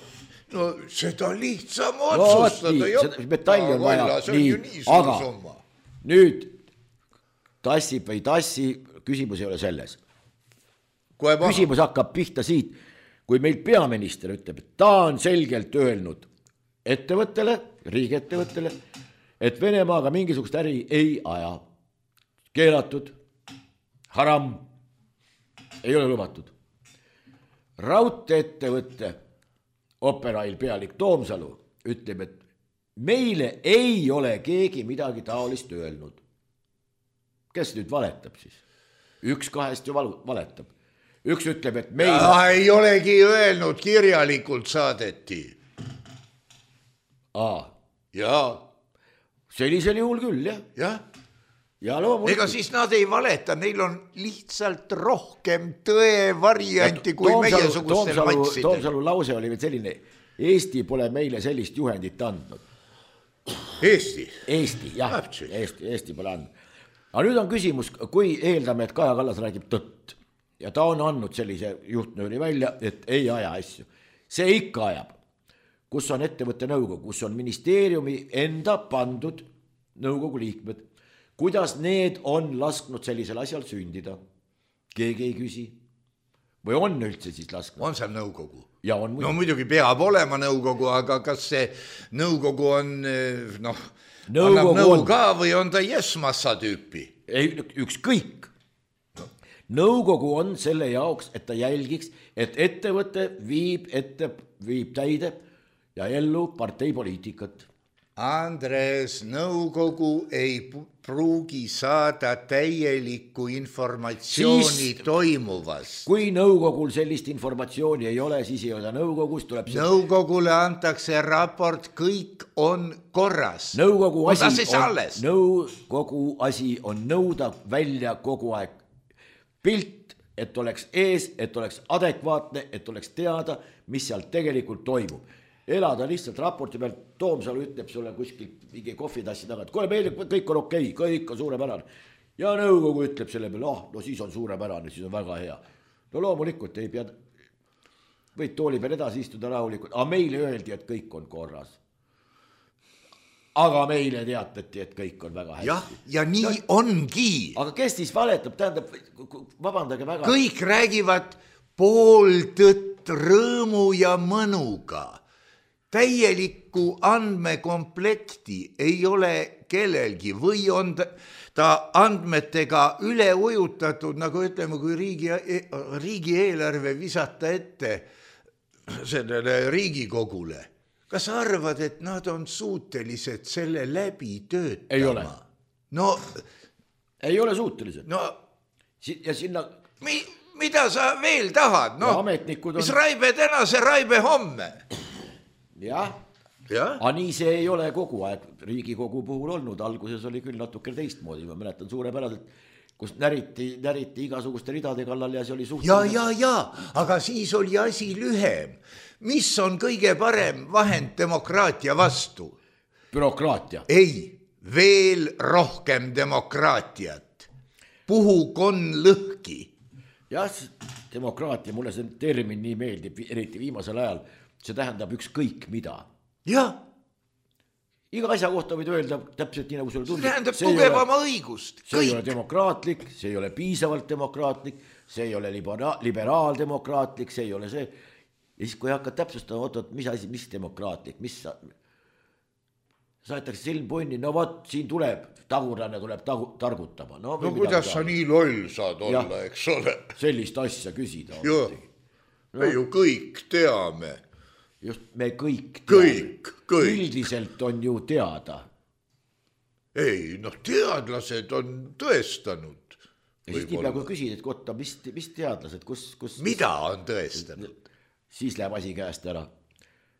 No seda lihtsam otsustada. No, nii, metalli on vaja, nii, nii aga summa. Nüüd tassib või tassi, küsimus ei ole selles. Küsimus hakkab pihta siit, kui meil peaminister ütleb, et ta on selgelt öelnud ettevõttele, riigiettevõttele, et Venemaaga mingisugust äri ei aja. Keelatud, haram, ei ole lubatud. raudteeettevõtte Operail pealik Toomsalu ütleb, et meile ei ole keegi midagi taolist öelnud. Kes nüüd valetab siis? Üks kahest ju valu, valetab. Üks ütleb, et meile... Ja, ei olegi öelnud, kirjalikult saadeti. Aa. Jaa. Sellisel juhul küll, jah. Jah. Ja loomulikult. Ega siis nad ei valeta, neil on lihtsalt rohkem tõe varianti kui meie sugustel matsidel. Toomsalu lause oli veel selline, Eesti pole meile sellist juhendit andnud. Eesti? Eesti, jah, Eesti, Eesti pole andnud. Aga nüüd on küsimus, kui eeldame, et Kaja Kallas räägib tõtt ja ta on andnud sellise juhtnööri välja, et ei aja asju. See ikka ajab, kus on ettevõtte nõukogu, kus on ministeeriumi enda pandud nõukogu liikmed. Kuidas need on lasknud sellisel asjal sündida? Keegi ei küsi. Või on üldse siis lasknud? On seal nõukogu? Ja on muidugi. No muidugi peab olema nõukogu, aga kas see nõukogu on, noh, annab nõu on... ka või on ta jesmassa tüüpi? Ei, ükskõik. Nõukogu on selle jaoks, et ta jälgiks, et ettevõte viib, ette, viib täide ja ellu parteipoliitikat. Andres, nõukogu ei pruugi saada täielikku informatsiooni siis, toimuvast. Kui nõukogul sellist informatsiooni ei ole, siis ei ole nõukogus. Tuleb see... Nõukogule antakse raport, kõik on korras. Nõukogu asi on, nõukogu asi on nõuda välja kogu aeg pilt, et oleks ees, et oleks adekvaatne, et oleks teada, mis seal tegelikult toimub. Elada lihtsalt raporti peal, Toomsalu ütleb sulle kuskil mingi kohvitassi taga, et kuule, meil kõik on okei, kõik on suurepärane. Ja nõukogu ütleb selle peale, oh, no siis on suurepärane, siis on väga hea. No loomulikult ei pea, võid tooli peal edasi istuda rahulikult, aga meile öeldi, et kõik on korras. Aga meile teatati, et kõik on väga hästi. Jah, ja nii no, ongi. Aga kes siis valetab, tähendab, vabandage väga. Kõik räägivad pooltõtt rõõmu ja mõnuga. Täielikku andmekomplekti ei ole kellelgi või on ta andmetega üle ujutatud, nagu ütleme, kui riigi, riigieelarve visata ette sellele Riigikogule. Kas arvad, et nad on suutelised selle läbi töötama? Ei ole. No, ei ole suutelised. No, ja sinna... Mi, mida sa veel tahad? No, on... mis raibe täna, see raibe homme. Jah, ja? Aga nii see ei ole kogu aeg Riigikogu puhul olnud, alguses oli küll natuke teistmoodi, ma mäletan suurepäraselt, kus näriti, näriti igasuguste ridade kallal ja see oli suht... Ja, ja, ja, aga siis oli asi lühem. Mis on kõige parem vahend demokraatia vastu? Bürokraatia. Ei, veel rohkem demokraatiat. Puhu kon lõhki. Jah, demokraatia, mulle see termin nii meeldib, eriti viimasel ajal. See tähendab ükskõik mida. Jah. Iga asja kohta võid öelda täpselt nii nagu sulle tundub. See tähendab tugevama õigust. See kõik. Ei ole demokraatlik, see ei ole piisavalt demokraatlik, see ei ole libera- liberaaldemokraatlik, see ei ole see. Ja siis kui hakkad täpsustama, oot, mis asi, mis demokraatlik, mis sa... Saetakse silm punni, no võt, siin tuleb, tagurlane tuleb tagu, targutama. No, no kuidas sa nii loll saad olla, ja, eks ole? Sellist asja küsida. Joo, no. Me ju kõik teame. Just, me kõik teame. Kõik, kõik. Üldiselt on ju teada. Ei, noh, teadlased on tõestanud. Ja siis nii peaaegu küsid, et kotta, mis, mis teadlased, kus, kus... Mida on tõestanud? Siis läheb asi käest ära.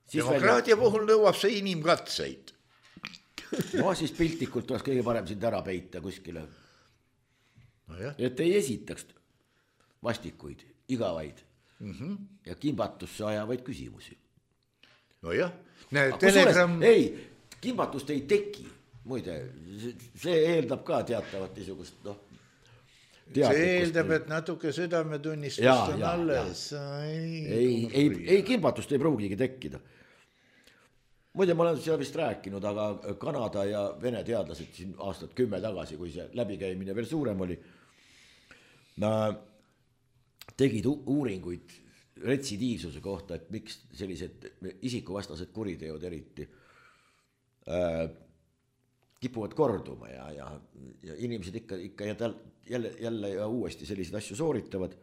Siis demokraatia välja... puhul nõuab see inimkatseid. No siis piltlikult oleks kõige parem sind ära peita kuskile. No jah. Et ei esitaks vastikuid, igavaid mm-hmm. ja kimbatusse ajavaid küsimusi. No jah. Näe, telegram... Ei, kimbatust ei teki. Muide, see eeldab ka teatavat niisugust, noh, see eeldab, et natuke südametunnistust ja, on ja, alles. Ei, ei, ei, ei kimbatust ei pruugigi tekkida. Muide, ma olen seda vist rääkinud, aga Kanada ja Vene teadlased siin aastat kümme tagasi, kui see läbikäimine veel suurem oli, tegid uuringuid retsidiivsuse kohta, et miks sellised isikuvastased kuriteod eriti äh, kipuvad korduma ja, ja, ja inimesed ikka, ikka ja tal, jälle, jälle ja uuesti selliseid asju sooritavad.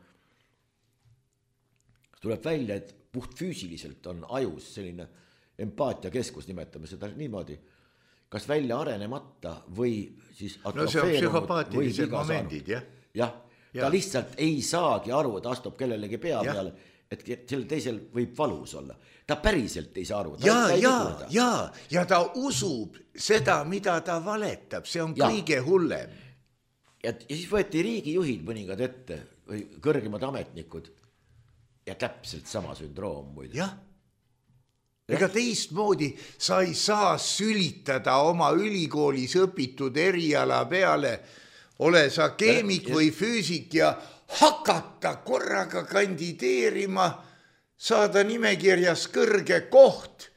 tuleb välja, et puht füüsiliselt on ajus selline empaatiakeskus, nimetame seda niimoodi, kas välja arenemata või siis no see on psühhopaatilised momendid, jah. jah, ta lihtsalt ei saagi aru, ta astub kellelegi pea ja. peale, et sellel teisel võib valus olla. Ta päriselt ei saa aru. Ja, ja, ja, ja ta usub seda, mida ta valetab, see on ja. kõige hullem. Ja, ja siis võeti riigijuhid mõningad ette või kõrgemad ametnikud ja täpselt sama sündroom muide. Jah. Ega teistmoodi sa ei saa sülitada oma ülikoolis õpitud eriala peale, ole sa keemik või füüsik ja hakata korraga kandideerima, saada nimekirjas kõrge koht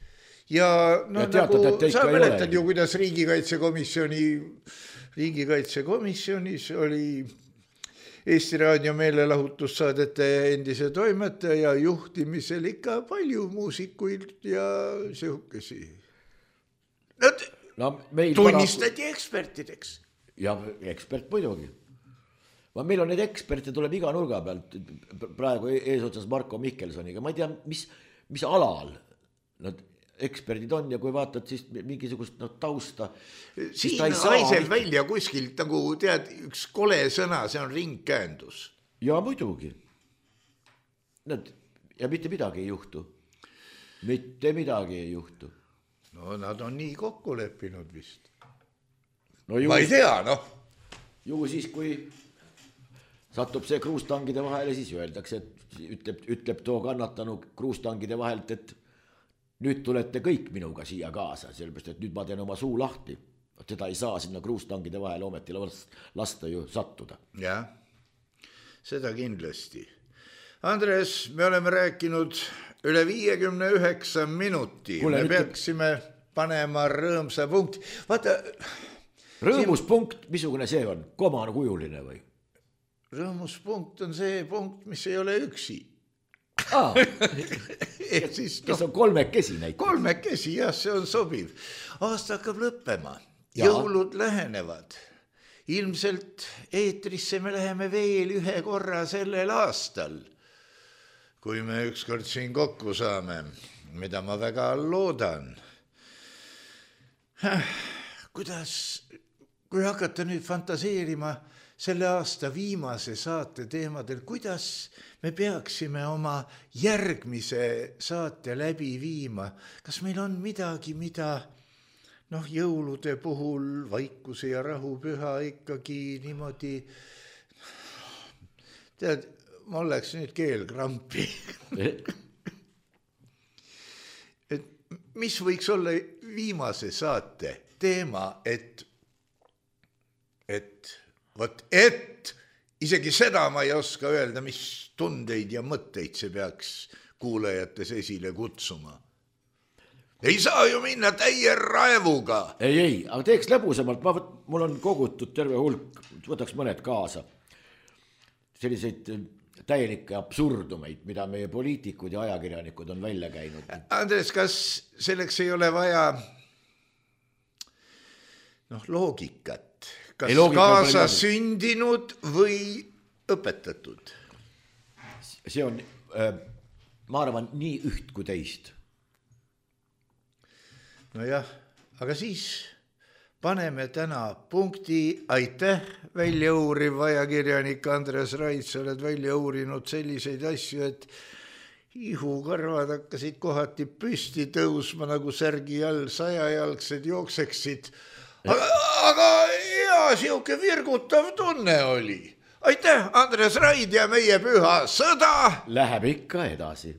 ja no ja teatad, nagu sa mäletad ju, kuidas riigikaitsekomisjoni, riigikaitsekomisjonis oli Eesti Raadio meelelahutussaadete endise toimetaja juhtimisel ikka palju muusikuid ja sihukesi. Nad no, tunnistati paraku... ekspertideks. Ja ekspert muidugi. Ma meil on neid eksperte tuleb iga nurga pealt, praegu eesotsas Marko Mihkelsoniga, ma ei tea, mis, mis alal nad eksperdid on ja kui vaatad siis mingisugust no, tausta. Siin haiseb välja kuskilt nagu tead üks kole sõna, see on ringkäändus. Ja muidugi. Nad, ja mitte midagi ei juhtu. Mitte midagi ei juhtu. No nad on nii kokku leppinud vist. No, ju, ma ei tea, noh. Ju siis, kui satub see kruustangide vahele, siis öeldakse, et ütleb, ütleb too kannatanu kruustangide vahelt, et nüüd tulete kõik minuga siia kaasa, sellepärast, et nüüd ma teen oma suu lahti. Teda ei saa sinna kruustangide vahele ometi lasta ju sattuda. Jah, seda kindlasti. Andres, me oleme rääkinud üle viiekümne üheksa minuti. Kule, me nüüd... peaksime panema rõõmsa punkt. Vaata... Rõõmuspunkt, missugune see on? Komakujuline või? Rõõmuspunkt on see punkt, mis ei ole üksi. Ah, siis, kes no, on kolmekesi näiteks. Kolmekesi, jah, see on sobiv. Aasta hakkab lõppema, ja. Jõulud lähenevad. Ilmselt eetrisse me läheme veel ühe korra sellel aastal, kui me ükskord siin kokku saame, mida ma väga loodan. Kuidas, kui hakata nüüd fantaseerima selle aasta viimase saate teemadel, kuidas me peaksime oma järgmise saate läbi viima? Kas meil on midagi, mida noh, jõulude puhul vaikuse ja rahupüha ikkagi niimoodi, tead, mul läks nüüd keelkrampi. Et mis võiks olla viimase saate teema, et, et Vot et isegi seda ma ei oska öelda, mis tundeid ja mõtteid see peaks kuulajates esile kutsuma. Ei saa ju minna täie raevuga. Ei, ei, aga teeks lõbusamalt. Ma, mul on kogutud terve hulk, võtaks mõned kaasa. Selliseid täielikke absurdumeid, mida meie poliitikud ja ajakirjanikud on välja käinud. Andres, kas selleks ei ole vaja noh, loogikat? Kas ei, kaasa sündinud või õpetatud? See on, ma arvan, nii üht kui teist. No jah, aga siis paneme täna punkti. Aitäh, välja uuriv ajakirjanik Andres Raid, sa oled välja uurinud selliseid asju, et ihukarvad hakkasid kohati püsti tõusma nagu särgi all sajajalgsed jookseksid. Aga, aga hea, siuke virgutav tunne oli. Aitäh, Andres Raid ja meie püha sõda. Läheb ikka edasi.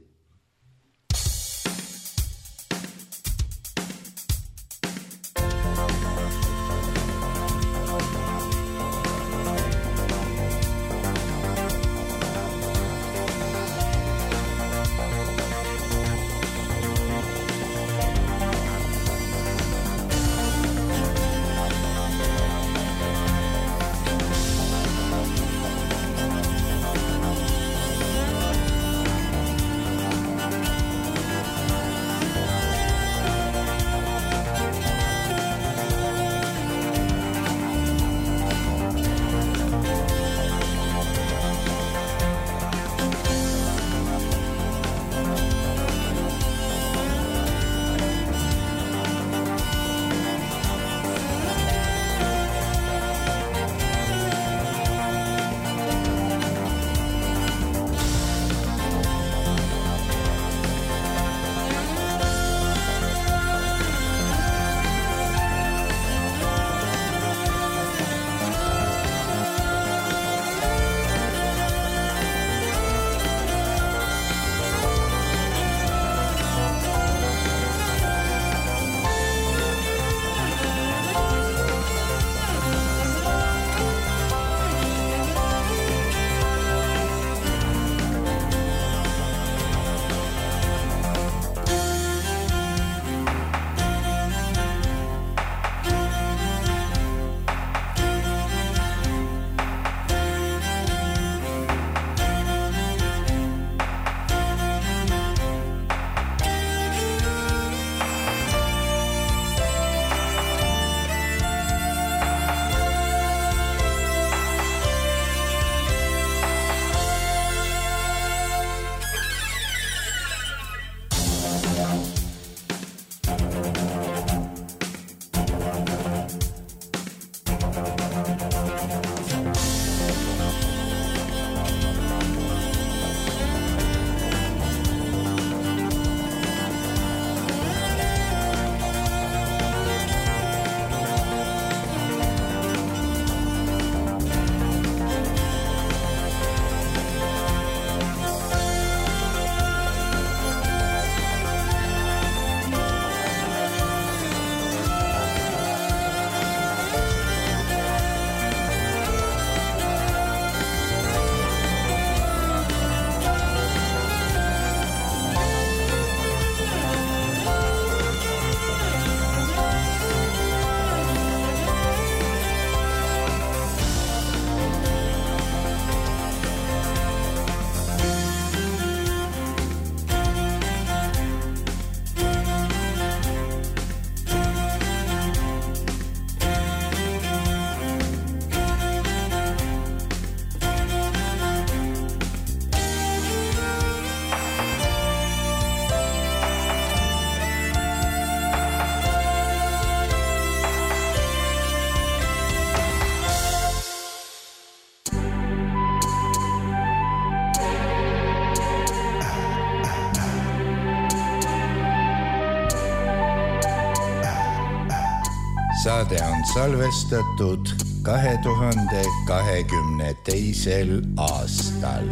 saade on salvestatud kahe tuhande kahekümne teisel aastal.